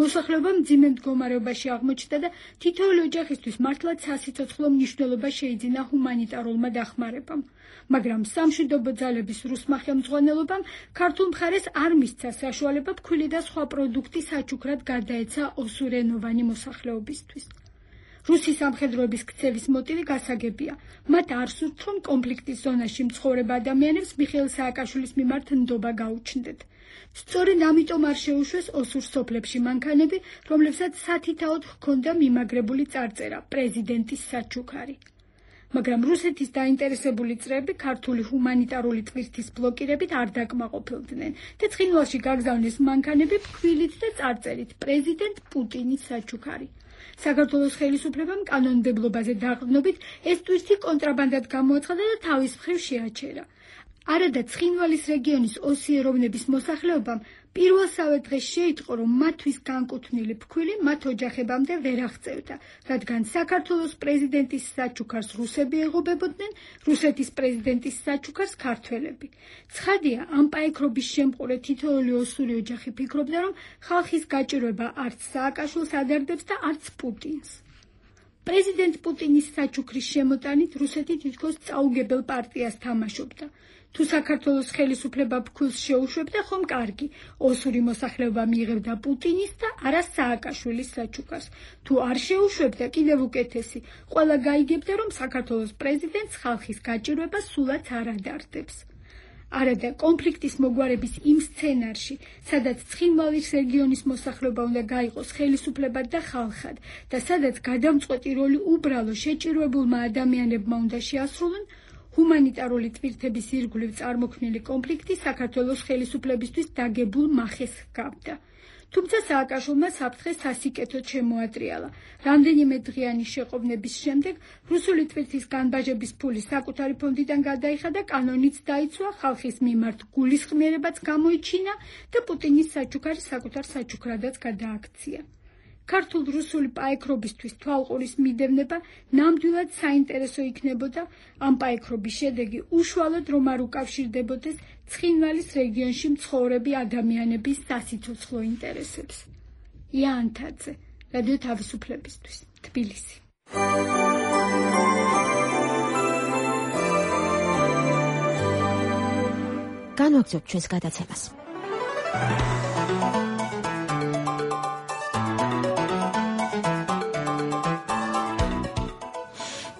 მოსახლეობა მძიმე მდგომარეობაში აღმოჩნდა და თითოეული ოჯახისთვის მართლაც სასიცოცხლო მნიშვნელობა შეიძინა ჰუმანიტარულმა დახმარებამ. მაგრამ სამშვიდობო ძალების რუსმა ხელმძღვანელობამ ქართულ მხარეს არ მისცა საშუალება ფქვილი და სხვა პროდუქტი საჩუქრად გარდაეცა ოსურენოვანი მოსახლეობისთვის. რუსის სამხედროების ქცევის მოტივი გასაგებია. მათ არ სურთ, რომ კონფლიქტის ზონაში მცხოვრებ ადამიანებს მიხეილ სააკაშვილის მიმართ ნდობა გაუჩნდეთ. სწორედ ამიტომ არ შეუშვეს ოსურ სოფლებში მანქანები, რომლებსაც სათითაოდ ჰქონდა მიმაგრებული წარწერა პრეზიდენტის საჩუქარი. მაგრამ რუსეთის დაინტერესებული წრეები ქართული ჰუმანიტარული ტვირთის ბლოკირებით არ დაკმაყოფილდნენ და ცხინვალში გაგზავნეს მანქანები ფქვილით და წარწერით პრეზიდენტ პუტინის საჩუქარი. საქართველოს ხელისუფლებამ კანონმდებლობაზე დაყრდნობით ეს ტვირთი კონტრაბანდად გამოაცხადა და თავის მხრივ შეაჩერა. არადა ცხინვალის რეგიონის ოსიეროვნების მოსახლეობამ პირველსავე დღეს შეიტყო, რომ მათთვის განკუთვნილი ფქვილი მათ ოჯახებამდე ვერ აღწევდა, რადგან საქართველოს პრეზიდენტის საჩუქარს რუსები ეღობებოდნენ, რუსეთის პრეზიდენტის საჩუქარს ქართველები. ცხადია, ამ პაექრობის შემყურე თითოეული ოსური ოჯახი ფიქრობდა, რომ ხალხის გაჭირვება არც სააკაშვილს ადარდებს და არც პუტინს. პრეზიდენტ პუტინის საჩუქრის შემოტანით რუსეთი თითქოს წაუგებელ პარტიას თამაშობდა. თუ საქართველოს ხელისუფლება ფქვილს შეუშვებდა, ხომ კარგი, ოსური მოსახლეობა მიიღებდა პუტინის და არა სააკაშვილის საჩუქარს. თუ არ შეუშვებდა, კიდევ უკეთესი, ყველა გაიგებდა, რომ საქართველოს პრეზიდენტს ხალხის გაჭირვება სულაც არ ადარდებს. არადა კონფლიქტის მოგვარების იმ სცენარში, სადაც ცხინვალის რეგიონის მოსახლეობა უნდა გაიყოს ხელისუფლებად და ხალხად და სადაც გადამწყვეტი როლი უბრალო შეჭირვებულმა ადამიანებმა უნდა შეასრულონ, ჰუმანიტარული ტვირთების ირგვლივ წარმოქმნილი კონფლიქტი საქართველოს ხელისუფლებისთვის დაგებულ მახეს ჰგავდა. თუმცა სააკაშვილმა საფრთხე სასიკეთოდ შემოატრიალა. რამდენიმე დღიანი შეყოვნების შემდეგ რუსული ტვირთის განბაჟების ფული საკუთარი ფონდიდან გადაიხადა და კანონიც დაიცვა, ხალხის მიმართ გულისხმიერებაც გამოიჩინა და პუტინის საჩუქარი საკუთარ საჩუქრადაც გადააქცია. ქართულ-რუსული პაექრობისთვის თვალყურის მიდევნება ნამდვილად საინტერესო იქნებოდა, ამ პაექრობის შედეგი უშუალოდ რომ არ უკავშირდებოდეს ცხინვალის რეგიონში მცხოვრები ადამიანების სასიცოცხლო ინტერესებს. იანთაძე, რადიო თავისუფლებისთვის, თბილისი. განვაგრძობთ ჩვენს გადაცემას.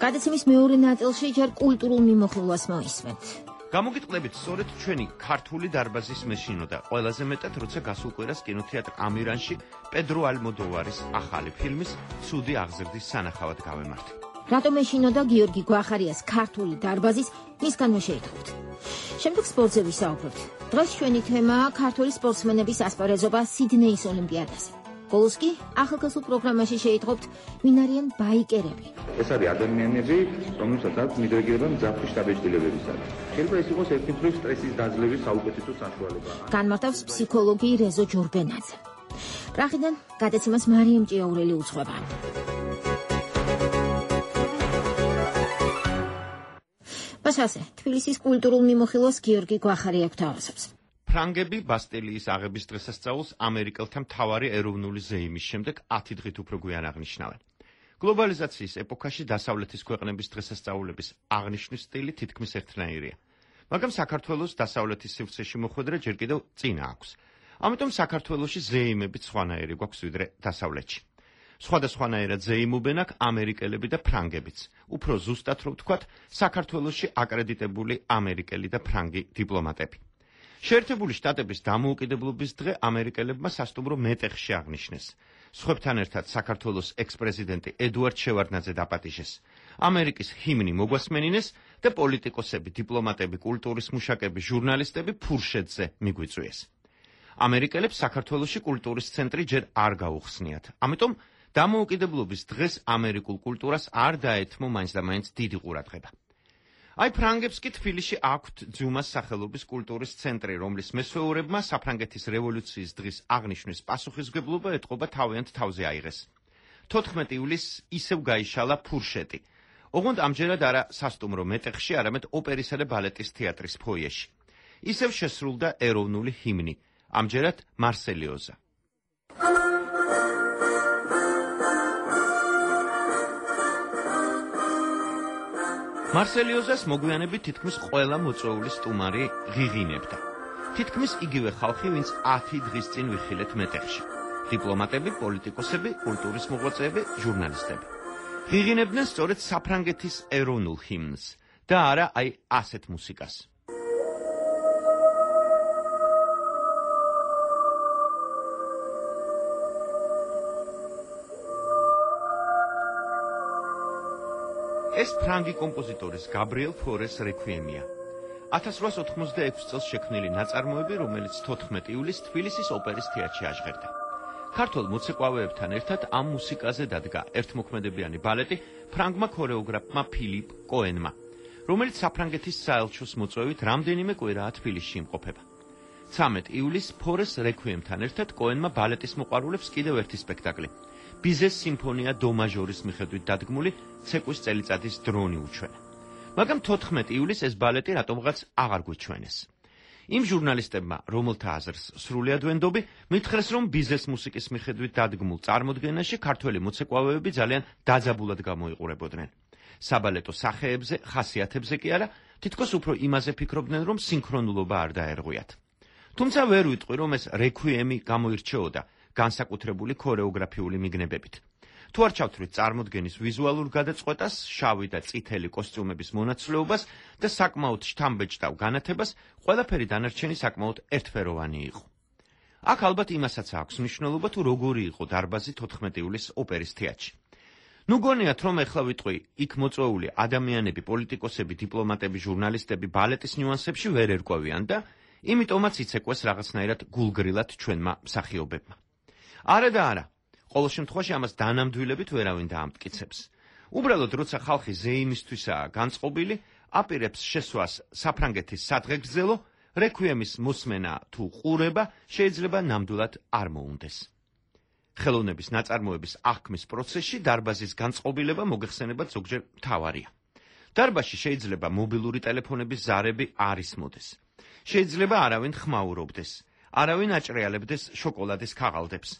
გადაცემის მეორე ნაწილში ჯერ კულტურულ მიმოხილვას მოისმენთ. გამოგიტყდებით სწორედ ჩვენი ქართული დარბაზის მეშინო და ყველაზე მეტად როცა გასულ კვირას კინოთეატრ ამირანში პედრო ალმოდოვარის ახალი ფილმის ცუდი აღზრდის სანახავად გავემართ. რატომ მეშინო და გიორგი გვახარიას ქართული დარბაზის მისგანვე შეითხოვთ. შემდეგ სპორტზე ვისაუბრებთ. დღეს ჩვენი თემაა ქართული სპორტსმენების ასპარეზობა სიდნეის ოლიმპიადაზე. ბოლოს კი ახალგაზრდულ პროგრამაში შეიტყობთ ვინ არიან ბაიკერები. ეს არის ადამიანები, რომელსაც აქვს მიდრეგირება მძაფრი შთაბეჭდილებებისადმი. შეიძლება ეს იყოს ერთი მხრივ სტრესის დაძლევის საუკეთესო საშუალება. განმარტავს ფსიქოლოგი რეზო ჯურბენაძე. პრაღიდან გადაცემას მარიამ ჭიაურელი უძღვება. მასაზე თბილისის კულტურულ მიმოხილვას გიორგი გვახარია გვთავაზობს. ფრანგები ბასტილიის აღების დღესასწაულს ამერიკელთა მთავარი ეროვნული ზეიმის შემდეგ ათი დღით უფრო გვიან აღნიშნავენ. გლობალიზაციის ეპოქაში დასავლეთის ქვეყნების დღესასწაულების აღნიშვნის სტილი თითქმის ერთნაირია. მაგრამ საქართველოს დასავლეთის სივრცეში მოხვედრა ჯერ კიდევ წინა აქვს. ამიტომ საქართველოში ზეიმებით სხვანაირი გვაქვს ვიდრე დასავლეთში. სხვადასხვანაირად ზეიმობენ აქ ამერიკელები და ფრანგებიც. უფრო ზუსტად რო ვთქვათ, საქართველოში აკრედიტებული ამერიკელი და ფრანგი დიპლომატები. შეერთებული შტატების დამოუკიდებლობის დღე ამერიკელებმა სასტუმრო მეტეხში აღნიშნეს. სხვებთან ერთად საქართველოს ექს-პრეზიდენტი ედუარდ შევარდნაძე დაპატიჟეს. ამერიკის ჰიმნი მოგვასმენინეს და პოლიტიკოსები, დიპლომატები, კულტურის მუშაკები, ჟურნალისტები ფურშეტზე მიგვიწვიეს. ამერიკელებს საქართველოში კულტურის ცენტრი ჯერ არ გაუხსნიათ. ამიტომ დამოუკიდებლობის დღეს ამერიკულ კულტურას არ დაეთმო მაინც და მაინც დიდი ყურადღება. აი ფრანგებს კი თბილისში აქვთ ძუმას სახელობის კულტურის ცენტრი, რომლის მესვეურებმა საფრანგეთის რევოლუციის დღის აღნიშვნის პასუხისმგებლობა ეტყობა თავიანთ თავზე აიღეს. თოთხმეტი ივლისს ისევ გაიშალა ფურშეტი. ოღონდ ამჯერად არა სასტუმრო მეტეხში, არამედ ოპერისა და ბალეტის თეატრის ფოიეში. ისევ შესრულდა ეროვნული ჰიმნი, ამჯერად მარსელიოზა. მარსელიოზას მოგვიანებით თითქმის ყველა მოწვეული სტუმარი ღიღინებდა. თითქმის იგივე ხალხი, ვინც ათი დღის წინ ვიხილეთ მეტეხში. დიპლომატები, პოლიტიკოსები, კულტურის მოღვაწეები, ჟურნალისტები. ღიღინებდნენ სწორედ საფრანგეთის ეროვნულ ჰიმნს და არა აი ასეთ მუსიკას. ეს ფრანგი კომპოზიტორის გაბრიელ ფორეს რექვიემია. ათას რვაას ოთხმოცდაექვსი წელს შექმნილი ნაწარმოები, რომელიც თოთხმეტი ივლისს თბილისის ოპერის თეატრში აჟღერდა. ქართველ მოცეკვავეებთან ერთად ამ მუსიკაზე დადგა ერთმოქმედებიანი ბალეტი ფრანგმა ქორეოგრაფმა ფილიპ კოენმა, რომელიც საფრანგეთის საელჩოს მოწვევით რამდენიმე კვირაა თბილისში იმყოფება. ცამეტ ივლისს ფორეს რექვიემთან ერთად კოენმა ბალეტის მოყვარულებს კიდევ ერთი სპექტაკლი ბიზეს სიმფონია დო მაჟორის მიხედვით დადგმული ცეკვის წელიწადის დრონი უჩვენა. მაგრამ თოთხმეტი ივლისს ეს ბალეტი რატომღაც აღარ გვიჩვენეს. იმ ჟურნალისტებმა, რომელთა აზრს სრულიად ვენდობი, მითხრეს, რომ ბიზეს მუსიკის მიხედვით დადგმულ წარმოდგენაში ქართველი მოცეკვავეები ძალიან დაძაბულად გამოიყურებოდნენ. საბალეტო სახეებზე, ხასიათებზე კი არა, თითქოს უფრო იმაზე ფიქრობდნენ, რომ სინქრონულობა არ დაერღვიათ. თუმცა ვერ ვიტყვი, რომ ეს რექვიემი გამოირჩეოდა განსაკუთრებული ქორეოგრაფიული მიგნებებით. თუ არ ჩავთვლით წარმოდგენის ვიზუალურ გადაწყვეტას, შავი და წითელი კოსტიუმების მონაცვლეობას და საკმაოდ შთამბეჭდავ განათებას, ყველაფერი დანარჩენი საკმაოდ ერთფეროვანი იყო. აქ ალბათ იმასაც აქვს მნიშვნელობა, თუ როგორი იყო დარბაზი თოთხმეტი ივლისს ოპერის თეატრში. ნუ გონიათ, რომ ეხლა ვიტყვი, იქ მოწვეული ადამიანები, პოლიტიკოსები, დიპლომატები, ჟურნალისტები ბალეტის ნიუანსებში ვერ ერკვევიან და იმიტომაც იცეკვეს რაღაცნაირად გულგრილად ჩვენმა მსახიობებმა. არა და არა. ყოველ შემთხვევაში ამას დანამდვილებით ვერავინ დაამტკიცებს. უბრალოდ როცა ხალხი ზეიმისთვისაა განწყობილი, აპირებს შესვას საფრანგეთის სადღეგრძელო, რექვიემის მოსმენა თუ ყურება შეიძლება ნამდვილად არ მოუნდეს. ხელოვნების ნაწარმოების აღქმის პროცესში დარბაზის განწყობილება მოგეხსენებათ ზოგჯერ მთავარია. დარბაზში შეიძლება მობილური ტელეფონების ზარები არ ისმოდეს. შეიძლება არავინ ხმაურობდეს, არავინ აჭრიალებდეს შოკოლადის ქაღალდებს.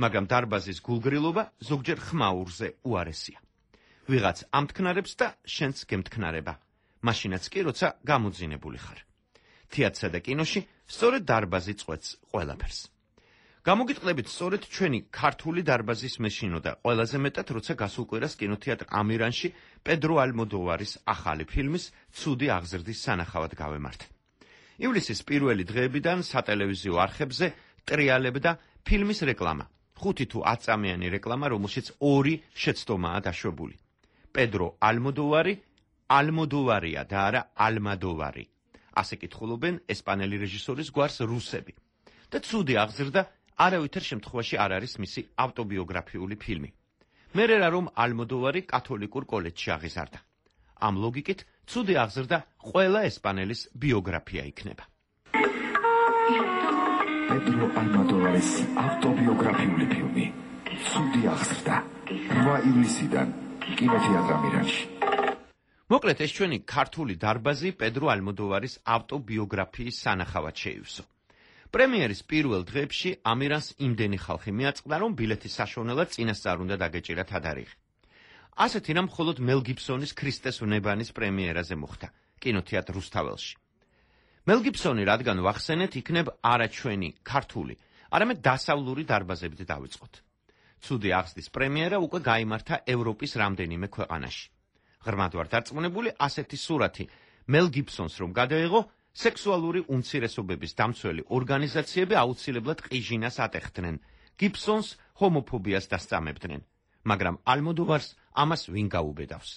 მაგრამ დარბაზის გულგრილობა ზოგჯერ ხმაურზე უარესია. ვიღაც ამთქნარებს და შენც გემთქნარება. მაშინაც კი, როცა გამოძინებული ხარ. თეატრსა და კინოში სწორედ დარბაზი წყვეტს ყველაფერს. გამოგიტყდებით სწორედ ჩვენი ქართული დარბაზის მეშინო და ყველაზე მეტად, როცა გასულ კვირას კინოთეატრ ამირანში პედრო ალმოდოვარის ახალი ფილმის ცუდი აღზრდის სანახავად გავემართ. ივლისის პირველი დღეებიდან სატელევიზიო არხებზე ტრიალებდა ფილმის რეკლამა. ხუთი თუ ათ წამიანი რეკლამა, რომელშიც ორი შეცდომაა დაშვებული. პედრო ალმოდოვარი, ალმოდოვარია და არა ალმადოვარი. ასე კითხულობენ ესპანელი რეჟისორის გვარს რუსები. და ცუდი აღზრდა არავითარ შემთხვევაში არ არის მისი ავტობიოგრაფიული ფილმი. მერე რა რომ ალმოდოვარი კათოლიკურ კოლეჯში აღიზარდა. ამ ლოგიკით ცუდი აღზრდა ყველა ესპანელის ბიოგრაფია იქნება. პედრო ალმოდოვარის ავტობიოგრაფიული ფილმი ცუდი აღზრდა რვა ივლისიდან კინოთეატრ ამირანში. მოკლედ ეს ჩვენი ქართული დარბაზი პედრო ალმოდოვარის ავტობიოგრაფიის სანახავად შეივსო. პრემიერის პირველ დღეებში ამირანს იმდენი ხალხი მიაწყდა, რომ ბილეთის საშუალებლად წინასწარ უნდა დაგეჭირა თადარიღი. ასეთი რამ მხოლოდ მელ გიბსონის ქრისტეს ვნებანის პრემიერაზე მოხდა კინოთეატრ რუსთაველში. მელ გიბსონი რადგან ვახსენეთ, იქნებ არა ჩვენი ქართული, არამედ დასავლური დარბაზებით დავიწყოთ. ცუდი აღზრდის პრემიერა უკვე გაიმართა ევროპის რამდენიმე ქვეყანაში. ღრმად ვარ დარწმუნებული, ასეთი სურათი მელ გიბსონს რომ გადაეღო, სექსუალური უმცირესობების დამცველი ორგანიზაციები აუცილებლად ყიჟინას ატეხდნენ, გიბსონს ჰომოფობიას დასწამებდნენ, მაგრამ ალმოდოვარს ამას ვინ გაუბედავს.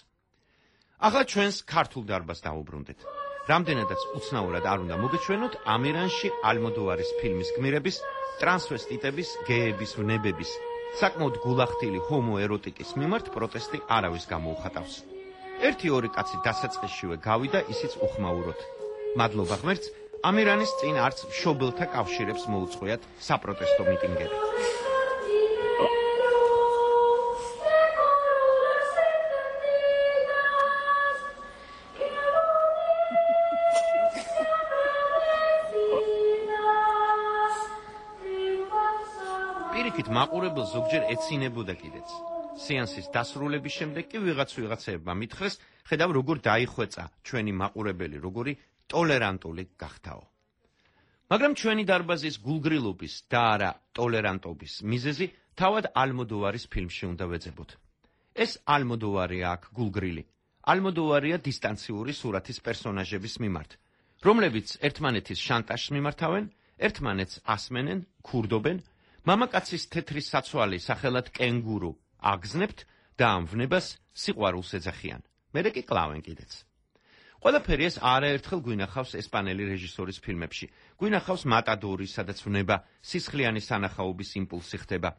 ახლა ჩვენს ქართულ დარბაზს დავუბრუნდეთ. რამდენადაც უცნაურად არ უნდა მოგეჩვენოთ, ამირანში ალმოდოვარის ფილმის გმირების, ტრანსვესტიტების, გეების, ვნებების, საკმაოდ გულახდილი ჰომოეროტიკის მიმართ პროტესტი არავის გამოუხატავს. ერთი ორი კაცი დასაწყისშივე გავიდა, ისიც უხმაუროდ. მადლობა ღმერთს, ამირანის წინ არც მშობელთა კავშირებს მოუწყვიათ საპროტესტო მიტინგები. პირიქით მაყურებელს ზოგჯერ ეცინებოდა კიდეც. სეანსის დასრულების შემდეგ კი ვიღაც ვიღაცებმა მითხრეს, ხედავ როგორ დაიხვეწა ჩვენი მაყურებელი, როგორი ტოლერანტული გახდაო. მაგრამ ჩვენი დარბაზის გულგრილობის და არა ტოლერანტობის მიზეზი თავად ალმოდოვარის ფილმში უნდა ვეძებოთ. ეს ალმოდოვარია აქ გულგრილი. ალმოდოვარია დისტანციური სურათის პერსონაჟების მიმართ, რომლებიც ერთმანეთის შანტაჟს მიმართავენ, ერთმანეთს ასმენენ, ქურდობენ, მამაკაცის თეთრი საცვალი სახელად კენგურუ აგზნებთ და ამ ვნებას სიყვარულს ეძახიან. მერე კი კლავენ კიდეც. ყველაფერი ეს არაერთხელ გვინახავს ესპანელი რეჟისორის ფილმებში. გვინახავს მატადორი, სადაც ვნება სისხლიანი სანახაობის იმპულსი ხდება.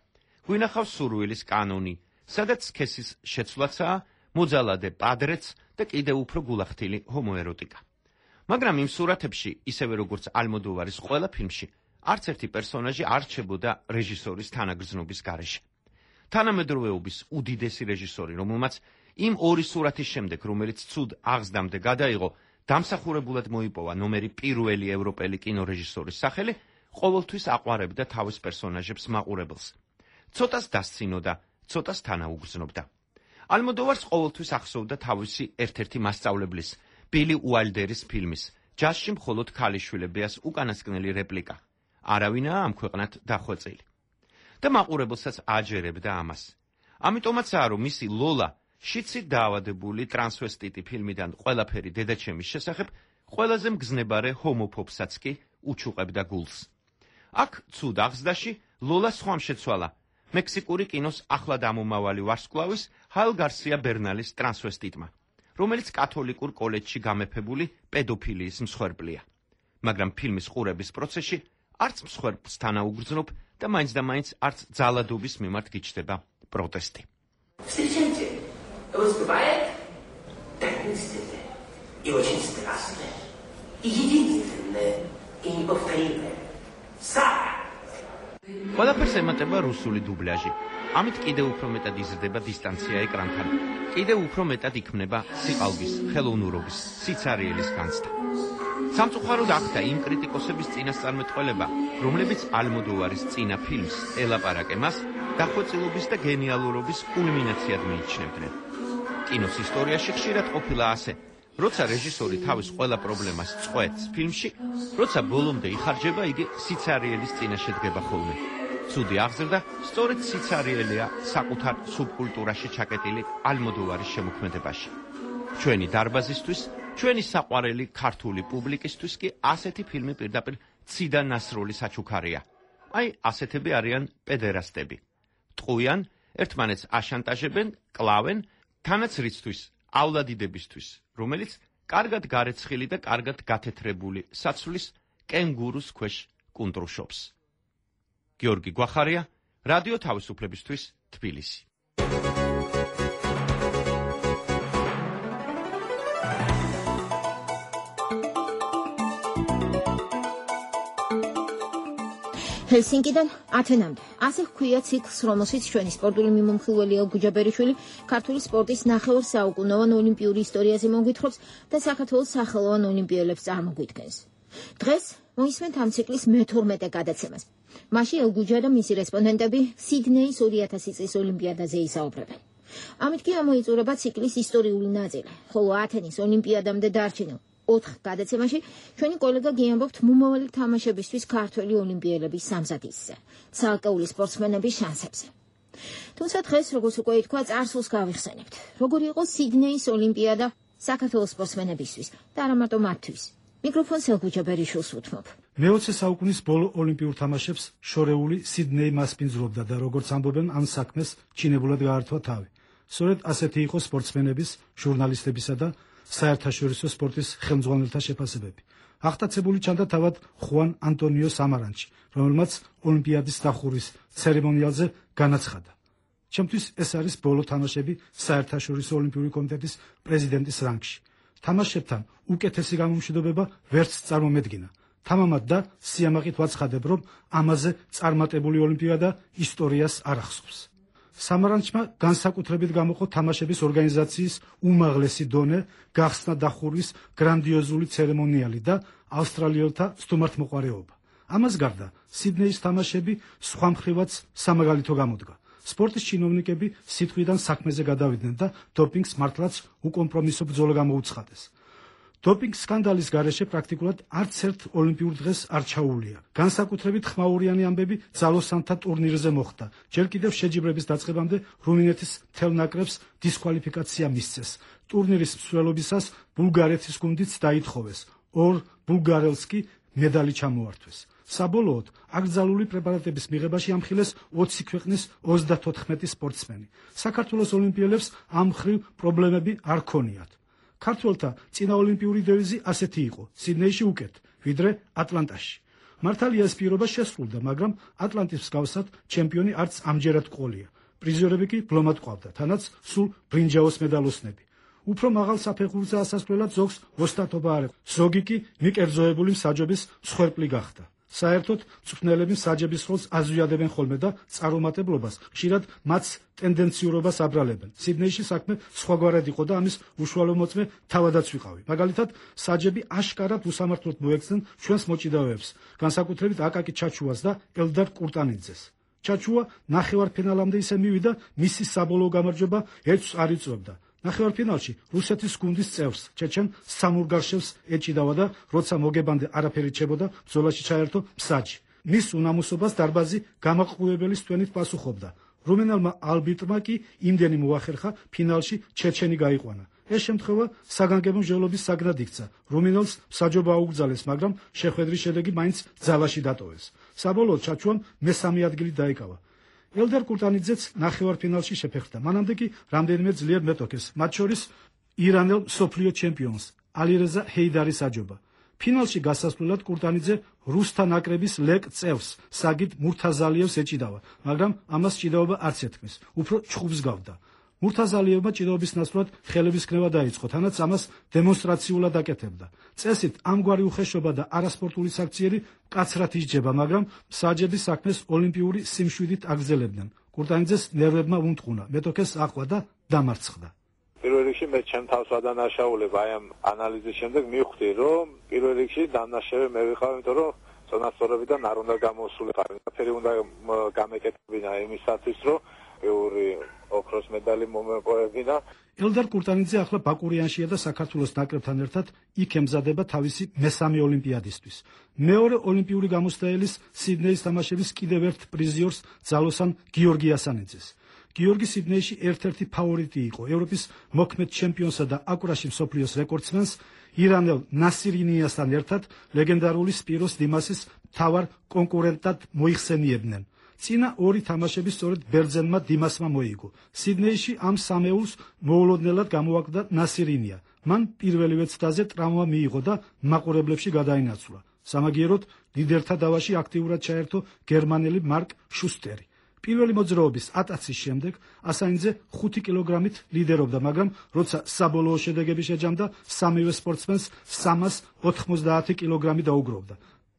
გვინახავს სურვილის კანონი, სადაც სქესის შეცვლაცაა, მოძალადე პადრეც და კიდევ უფრო გულახდილი ჰომოეროტიკა. მაგრამ იმ სურათებში, ისევე როგორც ალმოდოვარის ყველა ფილმში, არც ერთი პერსონაჟი არ რჩებოდა რეჟისორის თანაგრძნობის გარეშე. თანამედროვეობის უდიდესი რეჟისორი, რომელმაც იმ ორი სურათის შემდეგ, რომელიც ცუდ აღზრდამდე გადაიღო, დამსახურებულად მოიპოვა ნომერი პირველი ევროპელი კინორეჟისორის სახელი, ყოველთვის აყვარებდა თავის პერსონაჟებს მაყურებელს. ცოტას დასცინოდა, ცოტას თანაუგრძნობდა. ალმოდოვარს ყოველთვის ახსოვდა თავისი ერთ-ერთი მასწავლებლის, ბილი უაილდერის ფილმის, ჯაზში მხოლოდ ქალიშვილებიას უკანასკნელი რეპლიკა. არავინაა ამ ქვეყნად დახვეწილი. და მაყურებელსაც აჯერებდა ამას. ამიტომაცაა, რომ მისი ლოლა, შიცით დაავადებული ტრანსვესტიტი ფილმიდან ყველაფერი დედაჩემის შესახებ, ყველაზე მგზნებარე ჰომოფობსაც კი უჩუყებდა გულს. აქ ცუდ აღზრდაში ლოლა სხვამ შეცვალა, მექსიკური კინოს ახლად ამომავალი ვარსკვლავის ჰაილ გარსია ბერნალის ტრანსვესტიტმა, რომელიც კათოლიკურ კოლეჯში გამეფებული პედოფილიის მსხვერპლია. მაგრამ ფილმის ყურების პროცესში არც მსხვერპლს თანაუგრძნობ და მაინც და მაინც არც ძალადობის მიმართ გიჩნდება პროტესტი. Встречайте, выступает таинственное и очень страстное, и единственное, и неповторимое. Сара! ყველაფერს ემატება რუსული დუბლაჟი. ამით კიდევ უფრო მეტად იზრდება დისტანცია ეკრანთან. კიდევ უფრო მეტად იქმნება სიყალბის, ხელოვნურობის, სიცარიელის განცდა. სამწუხაროდ ახდა იმ კრიტიკოსების წინასწარმეტყველება, რომლებიც ალმოდოვარის წინა ფილმს ელაპარაკე მას დახვეწილობის და გენიალურობის კულმინაციად მიიჩნევდნენ. კინოს ისტორიაში ხშირად ყოფილა ასე, როცა რეჟისორი თავის ყველა პრობლემას წყვეტს ფილმში, როცა ბოლომდე იხარჯება, იგი სიცარიელის წინაშე დგება ხოლმე. ცუდი აღზრდა სწორედ სიცარიელია საკუთარ სუბკულტურაში ჩაკეტილი ალმოდოვარის შემოქმედებაში. ჩვენი დარბაზისთვის, ჩვენი საყვარელი ქართული პუბლიკისთვის კი ასეთი ფილმი პირდაპირ ციდა ნასროლი საჩუქარია. აი, ასეთები არიან პედერასტები. ტყუიან, ერთმანეთს აშანტაჟებენ, კლავენ, თანაც რიცთვის,ავლადიდებისთვის, რომელიც კარგად გარეცხილი და კარგად გათეთრებული საცვლის კენგურუს ქვეშ კუნტრუშობს. გიორგი გვახარია, რადიო თავისუფლებისთვის, თბილისი. ჰელსინკიდან ათენამდე. ასე ჰქვია ციკლს, რომელშიც ჩვენი სპორტული მიმომხილველი ელგუჯა ბერიშვილი ქართული სპორტის ნახევარ საუკუნოვან ოლიმპიური ისტორიაზე მოგვითხრობს და საქართველოს სახელოვან ოლიმპიელებს წარმოგვიდგენს. დღეს მოისმენთ ამ ციკლის მეთორმეტე გადაცემას. მასში ელგუჯა და მისი რესპონდენტები სიდნეის ორი ათასი წლის ოლიმპიადაზე ისაუბრებენ. ამით კი ამოიწურება ციკლის ისტორიული ნაწილი, ხოლო ათენის ოლიმპიადამდე დარჩენილ ოთხ გადაცემაში ჩვენი კოლეგა გიამბობთ მომავალი თამაშებისთვის ქართველი ოლიმპიელების სამზადისზე, ცალკეული სპორტსმენების შანსებზე. თუმცა დღეს, როგორც უკვე ითქვა, წარსულს გავიხსენებთ. როგორი იყო სიდნეის ოლიმპიადა საქართველოს სპორტსმენებისთვის და არა მარტო მათთვის. მიკროფონს ელგუჯა ბერიშვილს უთმობ. მეოცე საუკუნის ბოლო ოლიმპიურ თამაშებს შორეული სიდნეი მასპინძლობდა და როგორც ამბობენ, ამ საქმეს ჩინებულად გაართვა თავი. სწორედ ასეთი იყო სპორტსმენების, ჟურნალისტებისა და საერთაშორისო სპორტის ხელმძღვანელთა შეფასებები. აღტაცებული ჩანდა თავად ხუან ანტონიო სამარანჩი, რომელმაც ოლიმპიადის დახურვის ცერემონიალზე განაცხადა. ჩემთვის ეს არის ბოლო თამაშები საერთაშორისო ოლიმპიური კომიტეტის პრეზიდენტის რანგში. თამაშებთან უკეთესი გამომშვიდობება ვერც წარმომედგინა. თამამად და სიამაყით ვაცხადებ, რომ ამაზე წარმატებული ოლიმპიადა ისტორიას არ ახსოვს. სამარანჩმა განსაკუთრებით გამოყო თამაშების ორგანიზაციის უმაღლესი დონე, გახსნა დახურვის გრანდიოზული ცერემონიალი და ავსტრალიელთა სტუმართმოყვარეობა. ამას გარდა სიდნეის თამაშები სხვა მხრივაც სამაგალითო გამოდგა. სპორტის ჩინოვნიკები სიტყვიდან საქმეზე გადავიდნენ და დოპინგს მართლაც უკომპრომისო ბრძოლა გამოუცხადეს. დოპინგ სკანდალის გარეშე პრაქტიკულად არც ერთ ოლიმპიურ დღეს არ ჩაუვლია. განსაკუთრებით ხმაურიანი ამბები ძალოსანთა ტურნირზე მოხდა. ჯერ კიდევ შეჯიბრების დაწყებამდე რუმინეთის მთელ ნაკრებს დისკვალიფიკაცია მისცეს. ტურნირის მსვლელობისას ბულგარეთის გუნდიც დაითხოვეს. ორ ბულგარელს კი მედალი ჩამოართვეს. საბოლოოდ აკრძალული პრეპარატების მიღებაში ამხილეს ოცი ქვეყნის ოცდაოთხმეტი სპორტსმენი. საქართველოს ოლიმპიელებს ამ მხრივ პრობლემები არ ქონიათ. ქართველთა წინა ოლიმპიური დევიზი ასეთი იყო: სიდნეიში უკეთ, ვიდრე ატლანტაში. მართალია ეს პირობა შესრულდა, მაგრამ ატლანტის მსგავსად ჩემპიონი არც ამჯერად ყოლია. პრიზიორები კი ბლომად ყავდა, თანაც სულ ბრინჯაოს მედალოსნები. უფრო მაღალ საფეხურზე ასასვლელად ზოგს ოსტატობა არ ეყო. ზოგი კი მიკერძოებული მსაჯობის მსხვერპლი გახდა. საერთოდ მწვრთნელები მსაჯების როლს აზვიადებენ ხოლმე და წარუმატებლობას ხშირად მათ ტენდენციურობას აბრალებენ. სიდნეიში საქმე სხვაგვარად იყო და ამის უშუალო მოწმე თავადაც ვიყავი. მაგალითად, საჯები აშკარად უსამართლოდ მოექცნენ ჩვენს მოჭიდავეებს, განსაკუთრებით აკაკი ჩაჩუას და ელდარ კურტანიძეს. ჩაჩუა ნახევარფინალამდე ისე მივიდა, მისი საბოლოო გამარჯვება ერთს არ იწვევდა. ნახევარფინალში რუსეთის გუნდის წევრს ჩეჩენ სამურგარშევს ეჭიდავა და როცა მოგებამდე არაფერი რჩებოდა, ბრძოლაში ჩაერთო მსაჯი. მის უნამუსობას დარბაზი გამაყურებელის თვენით პასუხობდა. რუმინელმა ალბიტრმა კი იმდენი მოახერხა, ფინალში ჩეჩენი გაიყვანა. ეს შემთხვევა საგანგებო მსჯელობის საგნად იქცა. რუმინელს მსაჯობა აუგზალეს, მაგრამ შეხვედრის შედეგი მაინც ძალაში დატოვეს. საბოლოოდ ჩაჩუამ მესამე ადგილი დაიკავა. ელდარ კურტანიძეც ნახევარფინალში შეფერხდა. მანამდე კი რამდენიმე ძლიერ მეტოქეს, მათ შორის ირანელ მსოფლიო ჩემპიონს ალირეზა ჰეიდარის აჯობა. ფინალში გასასვლელად კურტანიძე რუსთა ნაკრების ლეკ წევს საგიდ მურთაზალიევს ეჭიდავა, მაგრამ ამას ჭიდაობა არც ეთქმის, უფრო ჩხუბს გავდა. მურთაზალიევმა ჭიდაობის ნაცვლად ხელების ქნება დაიწყო, თანაც ამას დემონსტრაციულად აკეთებდა. წესით ამგვარი უხეშობა და არასპორტული საქციელი კაცრად ისჯება, მაგრამ მსაჯების საქმეს ოლიმპიური სიმშვიდით აგრძელებდნენ. კურტანიძეს ნერვებმა უნტყუნა, მეტოქეს აყვა და დამარცხდა. პირველ რიგში მე ჩემ თავს ვადანაშაულებ აი ამ ანალიზის შემდეგ მივხვდი, რომ პირველ რიგში დამნაშავე მე ვიყავ, იმიტომ რომ წონასწორობიდან არ უნდა გამოსულიყო. ფერი უნდა გამეკეთებინა იმისათვის, რომ ეური ოქროს медали მომეპოვებინა. ელდარ კურტანიძე ახლა ბაკურიანშია და საქართველოს ნაკრებთან ერთად იქ ემზადება თავისი მესამე ოლიმპიადისთვის. მეორე ოლიმპიური გამოსტაელის სიდნეის თამაშების კიდევ ერთ პრიზიორს ძალოსან გიორგი ასანიძეს. გიორგი სიდნეიში ერთ-ერთი ფავორიტი იყო. ევროპის მოქმედ ჩემპიონსა და აკურაში მსოფლიოს რეკორდსმენს ირანელ ნასირინიასთან ერთად ლეგენდარული სპიროს დიმასის მთავარ კონკურენტად მოიხსენიებდნენ. წინა ორი თამაშები სწორედ ბერძენმა დიმასმა მოიგო. სიდნეიში ამ სამეულს მოულოდნელად გამოაკვდა ნასირინია. მან პირველივე ცდაზე ტრავმა მიიღო და მაყურებლებში გადაინაცვლა. სამაგიეროდ ლიდერთა დავაში აქტიურად ჩაერთო გერმანელი მარკ შუსტერი. პირველი მოძრაობის ატაცის შემდეგ ასანიძე ხუთი კილოგრამით ლიდერობდა, მაგრამ როცა საბოლოო შედეგები შეჯამდა, სამივე სპორტსმენს სამას ოთხმოცდაათი კილოგრამი დაუგროვდა.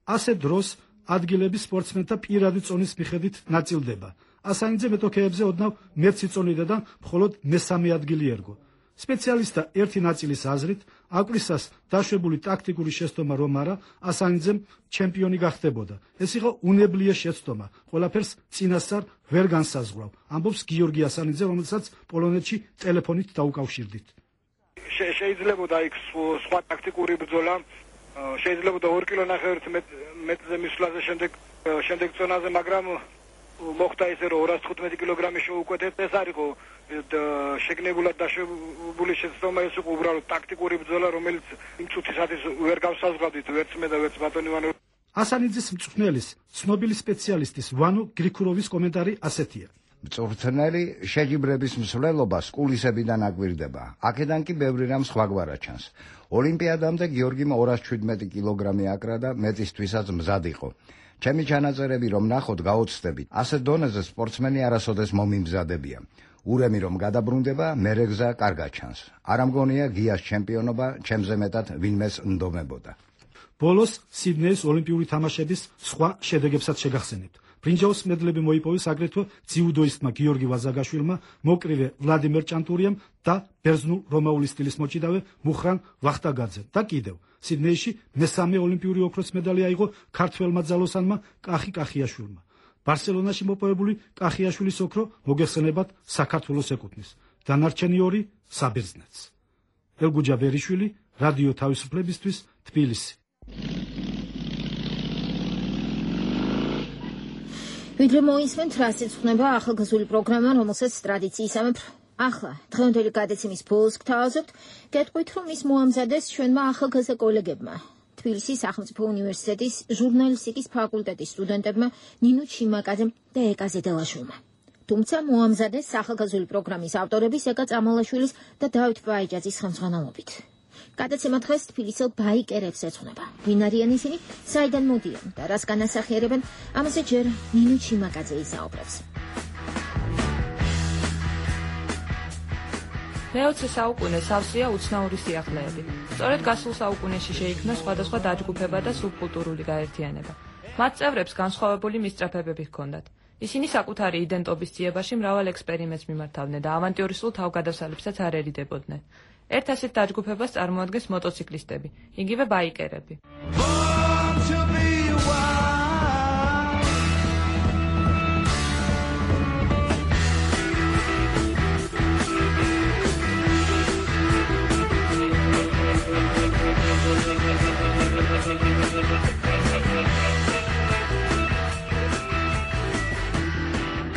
ასე დროს ადგილები სპორტსმენთა პირადი წონის მიხედვით ნაწილდება. ასანიძე მეტოქეებზე ოდნავ მეც იწონიდა და მხოლოდ მესამე ადგილი ერგო. სპეციალისტთა ერთი ნაწილის აზრით, აკვირისას დაშვებული ტაქტიკური შეცდომა რომ არა, ასანიძემ ჩემპიონი გახდებოდა. ეს იყო უნებლიე შეცდომა, ყველაფერს წინასწარ ვერ განსაზღვრავ, ამბობს გიორგი ასანიძე, რომელსაც პოლონეთში ტელეფონით დაუკავშირდით. შეიძლება იქ სხვა ტაქტიკური ბრძოლა, შეიძლება ორი კილონახევრით მეტრზე მისვლაზე შემდეგ შემდეგ წონაზე, მაგრამ მოხდა ისე რომ ორას თხუთმეტი კილოგრამი შეუკვეთეთ. ეს არ იყო შეგნებულად დაშვებული შეცდომა, ეს იყო უბრალოდ ტაქტიკური ბრძოლა, რომელიც იმ წუთისათვის ვერ გავსაზღვრავდით ვერც მე და ვერც ბატონი ივანოვი. ასანიძის მწვრთნელის, ცნობილი სპეციალისტის ვანო გრიქუროვის კომენტარი ასეთია. მწვრთნელი შეჯიბრების მსვლელობას კულისებიდან აკვირდება. აქედან კი ბევრი რამ სხვაგვარად ჩანს. ოლიმპიადამდე გიორგიმ ორას შვიდმეტი კილოგრამი აკრა და მეტისთვისაც მზად იყო. ჩემი ჩანაწერები რომ ნახოთ, გაოცდებით, ასეთ დონეზე სპორტსმენი არასოდეს მომიმზადებია. ურემი რომ გადაბრუნდება, მერე გზა კარგად ჩანს. არ ამგონია გიას ჩემპიონობა ჩემზე მეტად ვინმეს ნდომებოდა. ბოლოს სიდნეის ოლიმპიური თამაშების სხვა შედეგებსაც შეგახსენებთ. ბრინჯაოს მედლები მოიპოვეს აგრეთვე ძიუდოისტმა გიორგი ვაზაგაშვილმა, მოკრივე ვლადიმერ ჭანტურიამ და ბერძნულ-რომაული სტილის მოჭიდავე მუხრან ვახტაგაძემ და კიდევ სიდნეიში მესამე ოლიმპიური ოქროს მედალი აიღო ქართველმა ძალოსანმა კახი კახიაშვილმა. ბარსელონაში მოპოვებული კახიაშვილის ოქრო მოგეხსენებათ საქართველოს ეკუთვნის. დანარჩენი ორი საბერძნეთს. ელგუჯა ბერიშვილი, რადიო თავისუფლებისთვის, თბილისი. ვიდრე მოისმენთ, რას ეძღვნება ახალგაზრდული პროგრამა, რომელსაც ტრადიციისამებრ ახლა დღევანდელი გადაცემის ბოლოს გთავაზობთ, გეტყვით, რომ ის მოამზადეს ჩვენმა ახალგაზრდა კოლეგებმა. თბილისის სახელმწიფო უნივერსიტეტის ჟურნალისტიკის ფაკულტეტის სტუდენტებმა ნინო ჩიმაკაძემ და ეკა ზედელაშვილმა. თუმცა მოამზადეს ახალგაზრდული პროგრამის ავტორების ეკა წამალაშვილის და დავით ბაიჯაძის ხელმძღვანელობით. გადაცემა დღეს თბილისელ ბაიკერებს ეძღვნება. ვინ არიან ისინი, საიდან მოდიან და რას განასახიერებენ, ამაზე ჯერ ნინო ჩიმაკაძე ისაუბრებს. მეოცე საუკუნე სავსეა უცნაური სიახლეები. სწორედ გასულ საუკუნეში შეიქმნა სხვადასხვა დაჯგუფება და სუბკულტურული გაერთიანება. მათ წევრებს განსხვავებული მისწრაფებები ჰქონდათ. ისინი საკუთარი იდენტობის ძიებაში მრავალ ექსპერიმენტს მიმართავდნენ და ავანტიურისტულ თავგადასალებსაც არ ერიდებოდნენ. ერთ ასეთ დაჯგუფებას წარმოადგენს მოტოციკლისტები, იგივე ბაიკერები.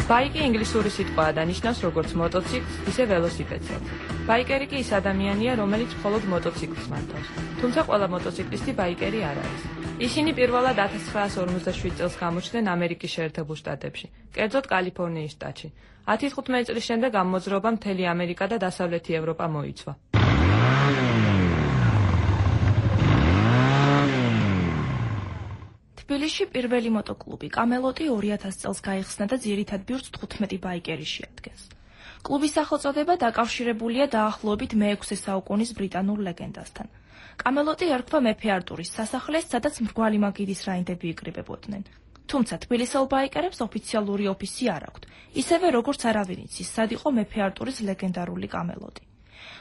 ბაიკი ინგლისური სიტყვაა და ნიშნავს როგორც მოტოციკლს, ისე ველოსიპედსაც. ბაიკერი კი ის ადამიანია, რომელიც მხოლოდ მოტოციკლს მართავს. თუმცა ყველა მოტოციკლისტი ბაიკერი არ არის. ისინი პირველად ათას ცხრაას ორმოცდაშვიდ წელს გამოჩნდნენ ამერიკის შეერთებულ შტატებში, კერძოდ კალიფორნიის შტატში. ათი თხუთმეტი წლის შემდეგ ამ მოძრაობამ მთელი ამერიკა და დასავლეთი ევროპა მოიცვა. თბილისში პირველი მოტოკლუბი კამელოტი ორი ათას წელს გაიხსნა და ძირითად ბიურს თხუთმეტი ბაიკერი შეადგენს. კლუბის სახელწოდება დაკავშირებულია დაახლოებით მეექვსე საუკუნის ბრიტანულ ლეგენდასთან. კამელოტი ერქვა მეფე არტურის სასახლეს, სადაც მრგვალი მაგიდის რაინდები იკრიბებოდნენ. თუმცა თბილისელ ბაიკერებს ოფიციალური ოფისი არ აქვთ, ისევე როგორც არავინ იცის, სად იყო მეფე არტურის ლეგენდარული კამელოტი.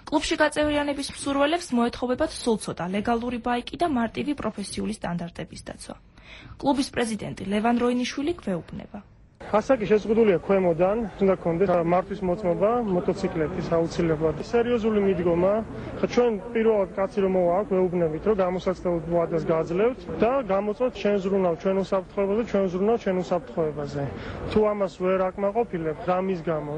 კლუბში გაწევრიანების მსურველებს მოეთხოვებათ სულ ცოტა ლეგალური ბაიკი და მარტივი პროფესიული სტანდარტების დაცვა. კლუბის პრეზიდენტი ლევან როინიშვილი გვეუბნება. ასაკი შეზღუდულია ქვემოდან, უნდა გქონდეს მართვის მოწმობა მოტოციკლეთის აუცილებლად. სერიოზული მიდგომა, ხა ჩვენ პირველად კაცი რომ მოვა აქ ვეუბნებით, რომ გამოსაცდელ ვადას გაძლევთ და გამოწვეთ ჩვენ ზრუნავ ჩვენ უსაფრთხოებაზე, ჩვენ ზრუნავ ჩვენ უსაფრთხოებაზე. თუ ამას ვერ აკმაყოფილებთ, რამის გამო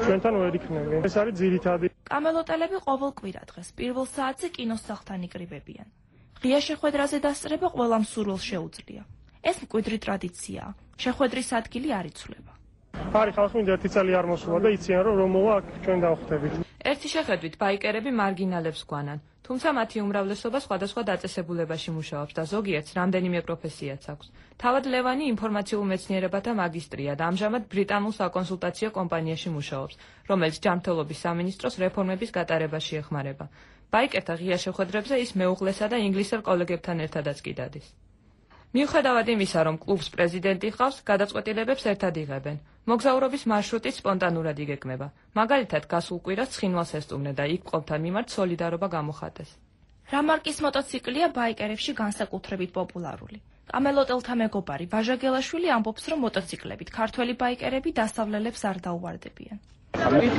ჩვენთან ვერ იქნები. ეს არის ძირითადი. კამელოტელები ყოველ კვირა დღეს პირველ საათზე კინოსახლთან იკრიბებიან. ღია შეხვედრაზე დასწრება ყველა მსურველს შეუძლია. ეს მკვიდრი ტრადიციაა. შეხვედრის ადგილი არ იცვლება. არის ხალხი მინდა ერთი წელი არ მოსულა და იციან რომ რომ მოვა აქ ჩვენ დავხვდებით. ერთი შეხედვით ბაიკერები მარგინალებს გვანან, თუმცა მათი უმრავლესობა სხვადასხვა დაწესებულებაში მუშაობს და ზოგიერთს რამდენიმე პროფესიაც აქვს. თავად ლევანი ინფორმაციულ მეცნიერებათა მაგისტრია და ამჟამად ბრიტანულ საკონსულტაციო კომპანიაში მუშაობს, რომელიც ჯანმრთელობის სამინისტროს რეფორმების გატარებაში ეხმარება. ბაიკერთა ღია შეხვედრებზე ის მეუღლესა და ინგლისელ კოლეგებთან ერთადაც კი დადის. მიუხედავად იმისა, რომ კლუბს პრეზიდენტი ჰყავს, გადაწყვეტილებებს ერთად იღებენ. მოგზაურობის მარშრუტი სპონტანურად იგეგმება. მაგალითად, გასულ კვირას ცხინვალს ესტუმრა და იქ მყოფთა მიმართ სოლიდარობა გამოხატეს. რა მარკის მოტოციკლია ბაიკერებში განსაკუთრებით პოპულარული? კამელოტელთა მეგობარი ვაჟა გელაშვილი ამბობს, რომ მოტოციკლებით ქართველი ბაიკერები დასავლელებს არ დაუვარდებიან.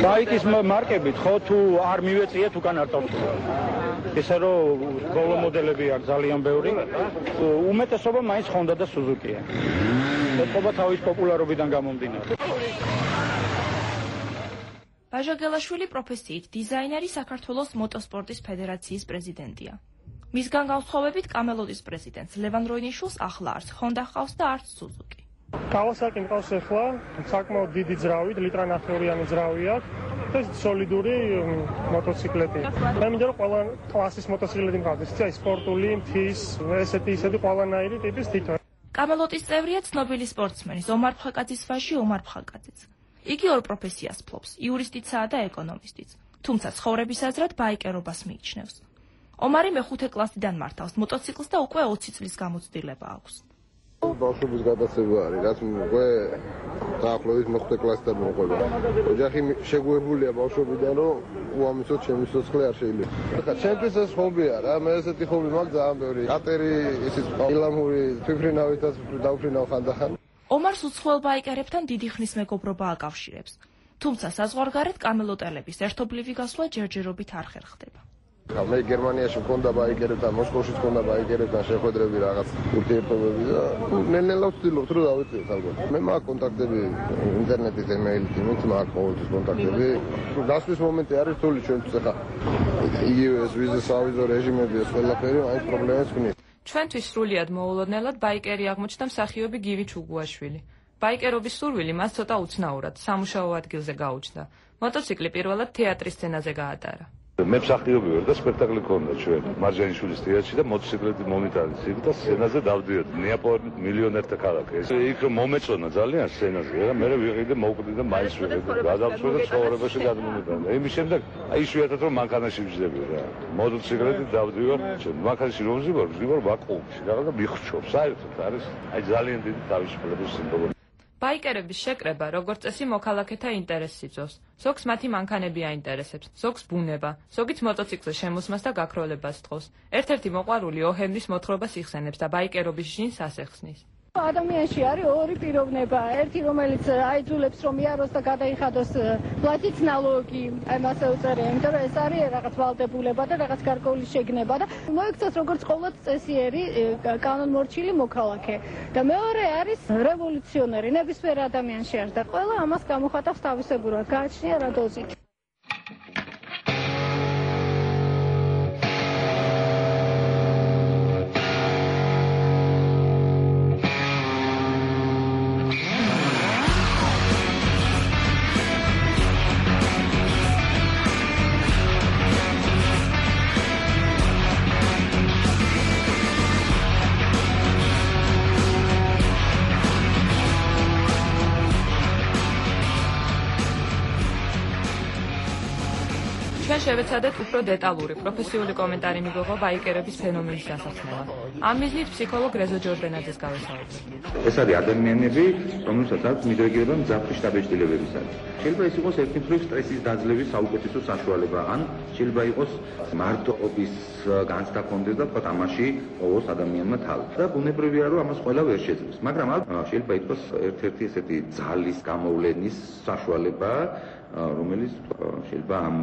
ბაიკის მარკებით ხო თუ არ მივეწიეთ უკან არ წავწულა. ესე რომ ბოლო მოდელები აქვს ძალიან ბევრი. უმეტესობა მაინც ჰონდა და სუზუკია. ეთყობა თავის პოპულარობიდან გამომდინარე. ვაჟა გელაშვილი პროფესიით დიზაინერი საქართველოს მოტოსპორტის ფედერაციის პრეზიდენტია. მისგან განსხვავებით კამელოტის პრეზიდენტს ლევან როინიშვილს ახლა არც ჰონდა ჰყავს და არც სუზუკი. კავასაკი მყავს ახლა, საკმაოდ დიდი ძრავით, ლიტრანახევრიანი ძრავი აქვს. ეს სოლიდური მოტოციკლეტი. მე მინდა რომ ყველა კლასის მოტოციკლეტი მყავდეს, აი სპორტული, მთის, ესეთი ისეთი ყველანაირი ტიპის თითო. კამელოტის წევრია ცნობილი სპორტსმენი ომარ ფხაკაძის ვაჟი ომარ ფხაკაძეც. იგი ორ პროფესიას ფლობს, იურისტიცაა და ეკონომისტიც. თუმცა ცხოვრების აზრად ბაიკერობას მიიჩნევს. ომარი მეხუთე კლასიდან მართავს მოტოციკლს და უკვე ოცი წლის გამოცდილება აქვს. ბავშვობის გადაცემა არის, რაც უკვე დაახლოებით მეხუთე კლასიდან მოყვება. ოჯახი შეგუებულია ბავშვობიდან, რომ უამისოდ ჩემი სიცოცხლე არ შეიძლება. ახლა ჩემთვის ეს ხობია რა, მე ესეთი ხობი მაქვს ძალიან ბევრი. კატერი, ისიც პილამური, თვითფრინავითაც დავფრინავ ხანდახან. ომარს უცხოელ ბაიკერებთან დიდი ხნის მეგობრობა აკავშირებს. თუმცა საზღვარგარეთ კამელოტელების ერთობლივი გასვლა ჯერჯერობით არ ხერხდება. მე გერმანიაში მქონდა ბაიკერებთან, მოსკოვში მქონდა ბაიკერებთან შეხვედრები რაღაც ურთიერთობები და ნელ-ნელა ვცდილობთ რომ დავიწყოთ ალბათ. მე მაქვს კონტაქტები ინტერნეტით, ემეილით, იმით მაქვს ყოველთვის კონტაქტები. გასვლის მომენტი არის რთული ჩვენთვის ახლა. იგივე ეს ვიზის სავიზო რეჟიმები ეს ყველაფერი მაინც პრობლემებს ქმნის. ჩვენთვის სრულიად მოულოდნელად ბაიკერი აღმოჩნდა მსახიობი გივი ჩუგუაშვილი. ბაიკერობის სურვილი მას ცოტა უცნაურად სამუშაო ადგილზე გაუჩნდა. მოტოციკლი პირველად თეატრის სცენაზე გაატარა. მე მსახიობი ვარ და სპექტაკლი ქონდა ჩვენ მარჯანიშვილის თეატრში და მოტოციკლეთი მომიტანეს იქ და სცენაზე დავდიოდ. ნეაპოლი მილიონერთა ქალაქი. ეს იქ რომ მომეწონა ძალიან სცენაზე და მე ვიყიდე მოვკვდი და მაინც ვიყიდე. გადავწყვეტე ცხოვრებაში გადმომიტანა. იმის შემდეგ აი იშვიათად რომ მანქანაში ვживები რა. მოტოციკლეთი დავდივარ. მანქანაში რომ ვживარ, ვживარ ვაკუუმში. რაღაც და მიხრჩობ. საერთოდ არის აი ძალიან დიდი თავისუფლების სიმბოლო. ბაიკერების შეკრება, როგორც წესი, მოქალაქეთა ინტერესს იწვევს. ზოგს მათი მანქანები აინტერესებს, ზოგს ბუნება, ზოგიც მოტოციკლის შემოსმას და გაქროლებას თხოვს. ერთ-ერთი მოყვარული ოჰემდის მოთხრობას იხსენებს და ბაიკერობის ჟინს ასეხსნის. ადამიანში არის ორი პიროვნება, ერთი რომელიც აიძულებს რომ იაროს და გადაიხადოს პლატიც ნალოგი, აი მასე უწერია, იმიტომ რომ ეს არის რაღაც ვალდებულება და რაღაც გარკვეული შეგნება და მოიქცეს როგორც ყოველთ წესიერი კანონმორჩილი მოქალაქე. და მეორე არის რევოლუციონერი, ნებისმიერ ადამიანში არის და ყველა ამას გამოხატავს თავისებურად, გააჩნია რა დოზით. შევეცადეთ უფრო დეტალური პროფესიული კომენტარი მიგვიღო ბაიკერების ფენომენის დასახმელად. ამ მიზნით ფსიქოლოგ რეზო ჯორდანაძეს გავესაუბრეთ. ეს არის ადამიანები, რომელსაც აქვს მიდრეკილება მძაფრი შთაბეჭდილებებისადმი. შეიძლება ეს იყოს ერთი მხრივ სტრესის დაძლევის საუკეთესო საშუალება, ან შეიძლება იყოს მარტოობის განცდა კონდეს და თქვა ამაში ყოველს ადამიანმა თავი. და ბუნებრივია რომ ამას ყველა ვერ შეძლებს, მაგრამ შეიძლება იყოს ერთ-ერთი ესეთი ძალის გამოვლენის საშუალება, რომელიც შეიძლება ამ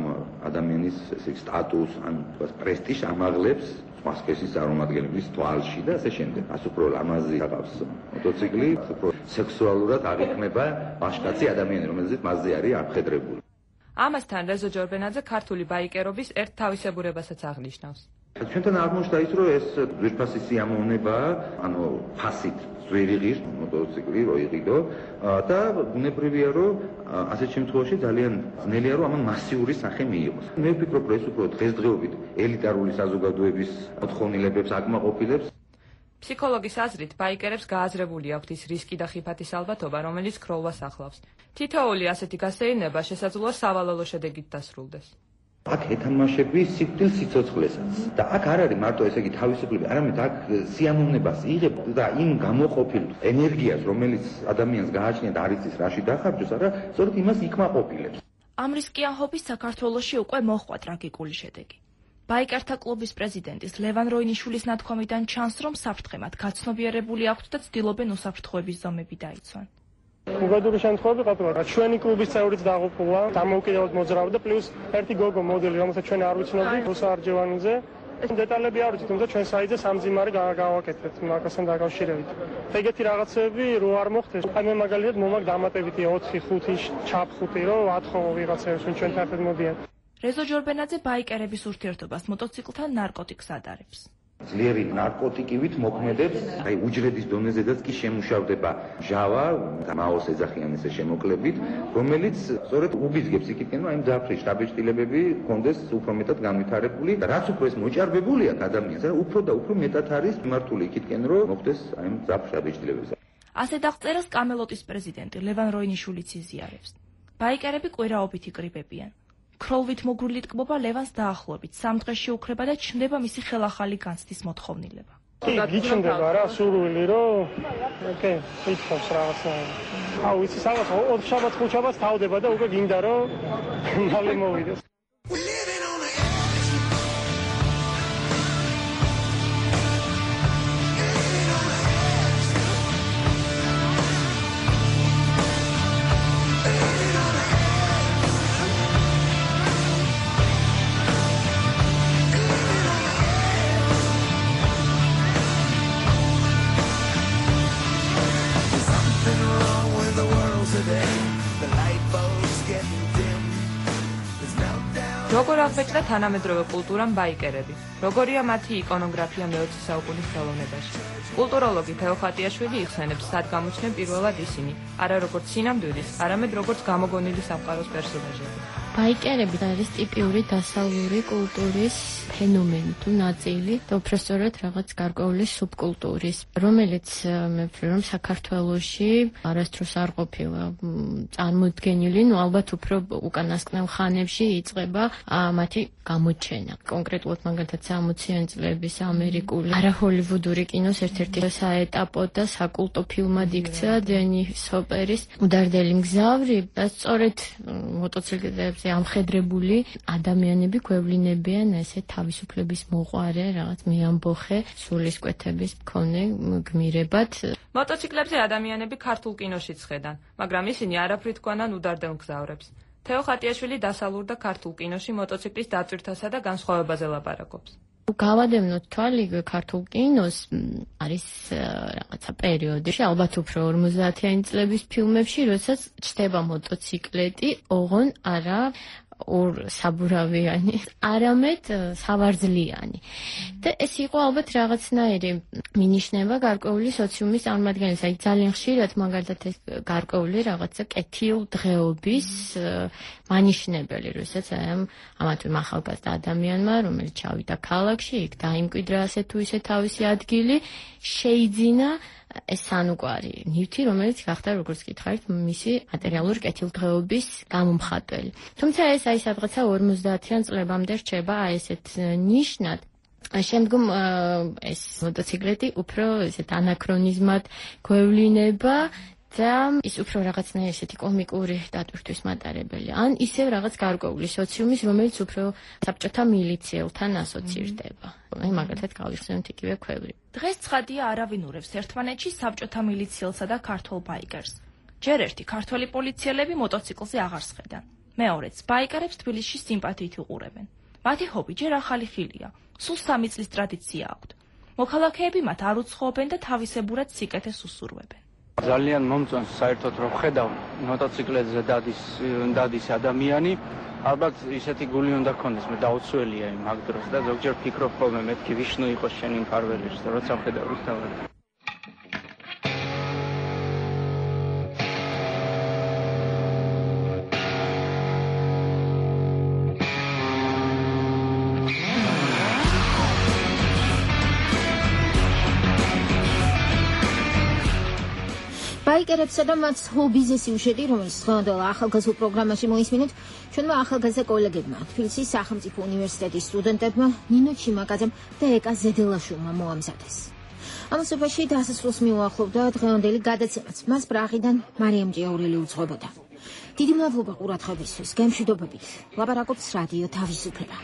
ადამიანის ესე სტატუსს ან პრესტიჟს ამაღლებს მასკესის წარმომადგენლების თვალში და ასე შემდეგ. ასე უფრო ლამაზი გახავს მოტოციკლი, უფრო სექსუალურად აღიქმება ვაჟკაცი ადამიანი, რომელზეც მასზე არის ამხედრებული. ამასთან რეზო ჯორბენაძე ქართული ბაიკერობის ერთ თავისებურებასაც აღნიშნავს. ჩვენთან აღმოჩნდა ის, რომ ეს ძვირფასი სიამოვნება, ანუ ფასით ძვირი ღირს მოტოციკლი რო იყიდო და ბუნებრივია რომ ასეთ შემთხვევაში ძალიან ძნელია რომ ამან მასიური სახე მიიღოს. მე ვფიქრობ რომ ეს უფრო დღესდღეობით ელიტარული საზოგადოების მოთხოვნილებებს აკმაყოფილებს. ფსიქოლოგის აზრით ბაიკერებს გააზრებული აქვთ ის რისკი და ხიფათის ალბათობა, რომელიც ქროვლას ახლავს. თითოეული ასეთი გასეირნება შესაძლოა სავალალო შედეგით დასრულდეს. აქ ეთამაშები სიკვდილ სიცოცხლესაც და აქ არ არის მარტო ესე იგი თავისუფლება, არამედ აქ სიამოვნებას იღებ და იმ გამოყოფილ ენერგიას, რომელიც ადამიანს გააჩნია და არ იცის რაში დახარჯოს, არა, სწორედ იმას იქმაყოფილებს. ამ რისკიანობის საქართველოში უკვე მოჰყვა ტრაგიკული შედეგი. ბაიკერთა კლუბის პრეზიდენტის ლევან როინიშვილის ნათქვამიდან ჩანს, რომ საფრთხემად გაცნობიერებული აქვთ და ცდილობენ უსაფრთხოების ზომები დაიცვან. უგადური შემთხვევები ყოფილა, ჩვენი კლუბის წევრიც დაღუპულა, დამოუკიდებლად მოძრავდა, პლუს ერთი გოგო მოდელი, რომელსაც ჩვენ არ ვიცნობდით, რუსა არჯევანიძე. ეს დეტალები არ ვიცით, თუმცა ჩვენ საიტზე სამძიმარი გავაკეთეთ მაგასთან დაკავშირებით. ეგეთი რაღაცები რო არ მოხდეს, აი მე მაგალითად მომაკ დამატებითი ოთხი ხუთი ჩაფხუტი, რომ ათხოვო ვიღაცებს, ვინ ჩვენთან ერთად მოდიან. რეზო ჯორბენაძე ბაიკერების ურთიერთობას მოტოციკლთან ნარკოტიკს ადარებს. ძლიერი ნარკოტიკივით მოქმედებს, აი უჯრედის დონეზედაც კი შემუშავდება ჟავა, მაოს ეძახიან ესე შემოკლებით, რომელიც სწორედ უბიძგებს იქითკენ, რომ აი მძაფრი შტაბეჭდილებები კონდეს უფრო მეტად განვითარებული და რაც უფრო ეს მოჭარბებული აქვს ადამიანს, რა უფრო და უფრო მეტად არის მიმართული იქითკენ, რომ მოხდეს აი მძაფრი შტაბეჭდილებებზე. ასე დაღწერას კამელოტის პრეზიდენტი ლევან როინიშვილიც იზიარებს. ბაიკერები კვირაობით იკრიბებიან. ქროლვით მოგრული ტკბობა ლევანს დაახლოებით სამ დღეში უკრება და ჩნდება მისი ხელახალი განცდის მოთხოვნილება. კი, გიჩნდება რა სურვილი, რომ ოკე, ითხოვს რაღაცნაირად. აუ, იცი რაღაც ოთხ შაბათს ხუთ შაბათს თავდება და უკვე გინდა რომ მალე მოვიდეს. როგორ აღბეჭდა თანამედროვე კულტურამ ბაიკერები? როგორია მათი იკონოგრაფია მეოცე საუკუნის ხელოვნებაში? კულტუროლოგი თეო ხატიაშვილი იხსენებს, სად გამოჩნდნენ პირველად ისინი, არა როგორც სინამდვილის, არამედ როგორც გამოგონილი სამყაროს პერსონაჟები. ბაიკერები არის ტიპიური დასავლური კულტურის ფენომენი თუ ნაწილი და უბრალოდ რაღაც გარკვეული სუბკულტურის, რომელიც მე ვფიქრობ, რომ საქართველოში არასდროს არ ყოფილა წარმოდგენილი, ну ალბათ უფრო უკანასკნელ ხანებში იწყება მათი გამოჩენა. კონკრეტულად მაგალითად სამოციანი წლების ამერიკული არაჰოლივუდური კინოს ერთ-ერთი საეტაპო და საკულტო ფილმად იქცა დენის ჰოპერის უდარდელი მგზავრი და სწორედ მოტოციკლებზე ამხედრებული ადამიანები გვევლინებიან ესე თავისუფლების მოყვარე, რაღაც მეამბოხე, სულისკვეთების მქონე გმირებად. მოტოციკლებზე ადამიანები ქართულ კინოშიც ხედან, მაგრამ ისინი არაფრით თქვანან უდარდელ მგზავრებს. თეო ხატიაშვილი დასავლურ და ქართულ კინოში მოტოციკლის დაწვრთასა და განსხვავებაზე ლაპარაკობს. გავადევნოთ თვალი ქართულ კინოს არის რაღაცა პერიოდში, ალბათ უფრო ორმოცდაათიანი წლების ფილმებში, როდესაც ჩდება მოტოციკლეტი, ოღონ არა ორ საბურავიანი, არამედ სავარძლიანი. და ეს იყო ალბათ რაღაცნაირი მინიშნება გარკვეული სოციუმის წარმომადგენლის, აი ძალიან ხშირად მაგალითად ეს გარკვეული რაღაცა კეთილდღეობის მანიშნებელი, როდესაც ამ ამათვე ახალგაზრდა ადამიანმა, რომელიც ჩავიდა ქალაქში, იქ დაიმკვიდრა ასე თუ ისე თავისი ადგილი, შეიძინა ეს სანუკვარი ნივთი, რომელიც გახდა როგორც გითხარით, მისი მატერიალური კეთილდღეობის გამომხატველი. თუმცა ეს აი სადღაცა ორმოცდაათიან წლებამდე რჩება აი ესეთ ნიშნად. შემდგომ ეს მოტოციკლეტი უფრო ესეთ ანაქრონიზმად გვევლინება და ის უფრო რაღაცნაირი ესეთი კომიკური დატვირთვის მატარებელი. ან ისევ რაღაც გარკვეული სოციუმის, რომელიც უფრო საბჭოთა მილიციელთან ასოცირდება. აი მაგალითად გავიხსენოთ იგივე ქვევრი. დღეს ცხადია არავინურებს ერთმანეთში საბჭოთა მილიციელსა და ქართულ ბაიკერს. ჯერ ერთი ქართველი პოლიციელები მოტოციკლზე აღარ სხედან. მეორეც ბაიკერებს თბილისში სიმპათიით უყურებენ. მათი ჰობი ჯერ ახალი ხილია. სულ სამი წლის ტრადიცია აქვთ. მოქალაქეები მათ არ უცხოობენ და თავისებურად სიკეთეს უსურვებენ. ძალიან მომწონს საერთოდ რომ ხედავ მოტოციკლებზე დადის დადის ადამიანი, ალბათ ისეთი გული უნდა გქონდეს, მე დაუცველია იმ მაგ დროს და ზოგჯერ ფიქრობ ხოლმე მეთქი ვიშნუ იყოს შენი მფარველი, როცა ხედავ რუსთავად. ბაიკერებსა და მათ ჰობიზე სიუჟეტი, რომელიც დღევანდელ ახალგაზრდულ პროგრამაში მოისმინეთ, ჩვენმა ახალგაზრდა კოლეგებმა, თბილისის სახელმწიფო უნივერსიტეტის სტუდენტებმა, ნინო ჩიმაკაძემ და ეკა ზედელაშვილმა მოამზადეს. ამასობაში დასასრულს მიუახლოვდა დღევანდელი გადაცემაც. მას პრაღიდან მარიამ ჭიაურელი უძღვებოდა. დიდი მადლობა ყურადღებისთვის. გემშვიდობებით. ლაპარაკობს რადიო თავისუფლება.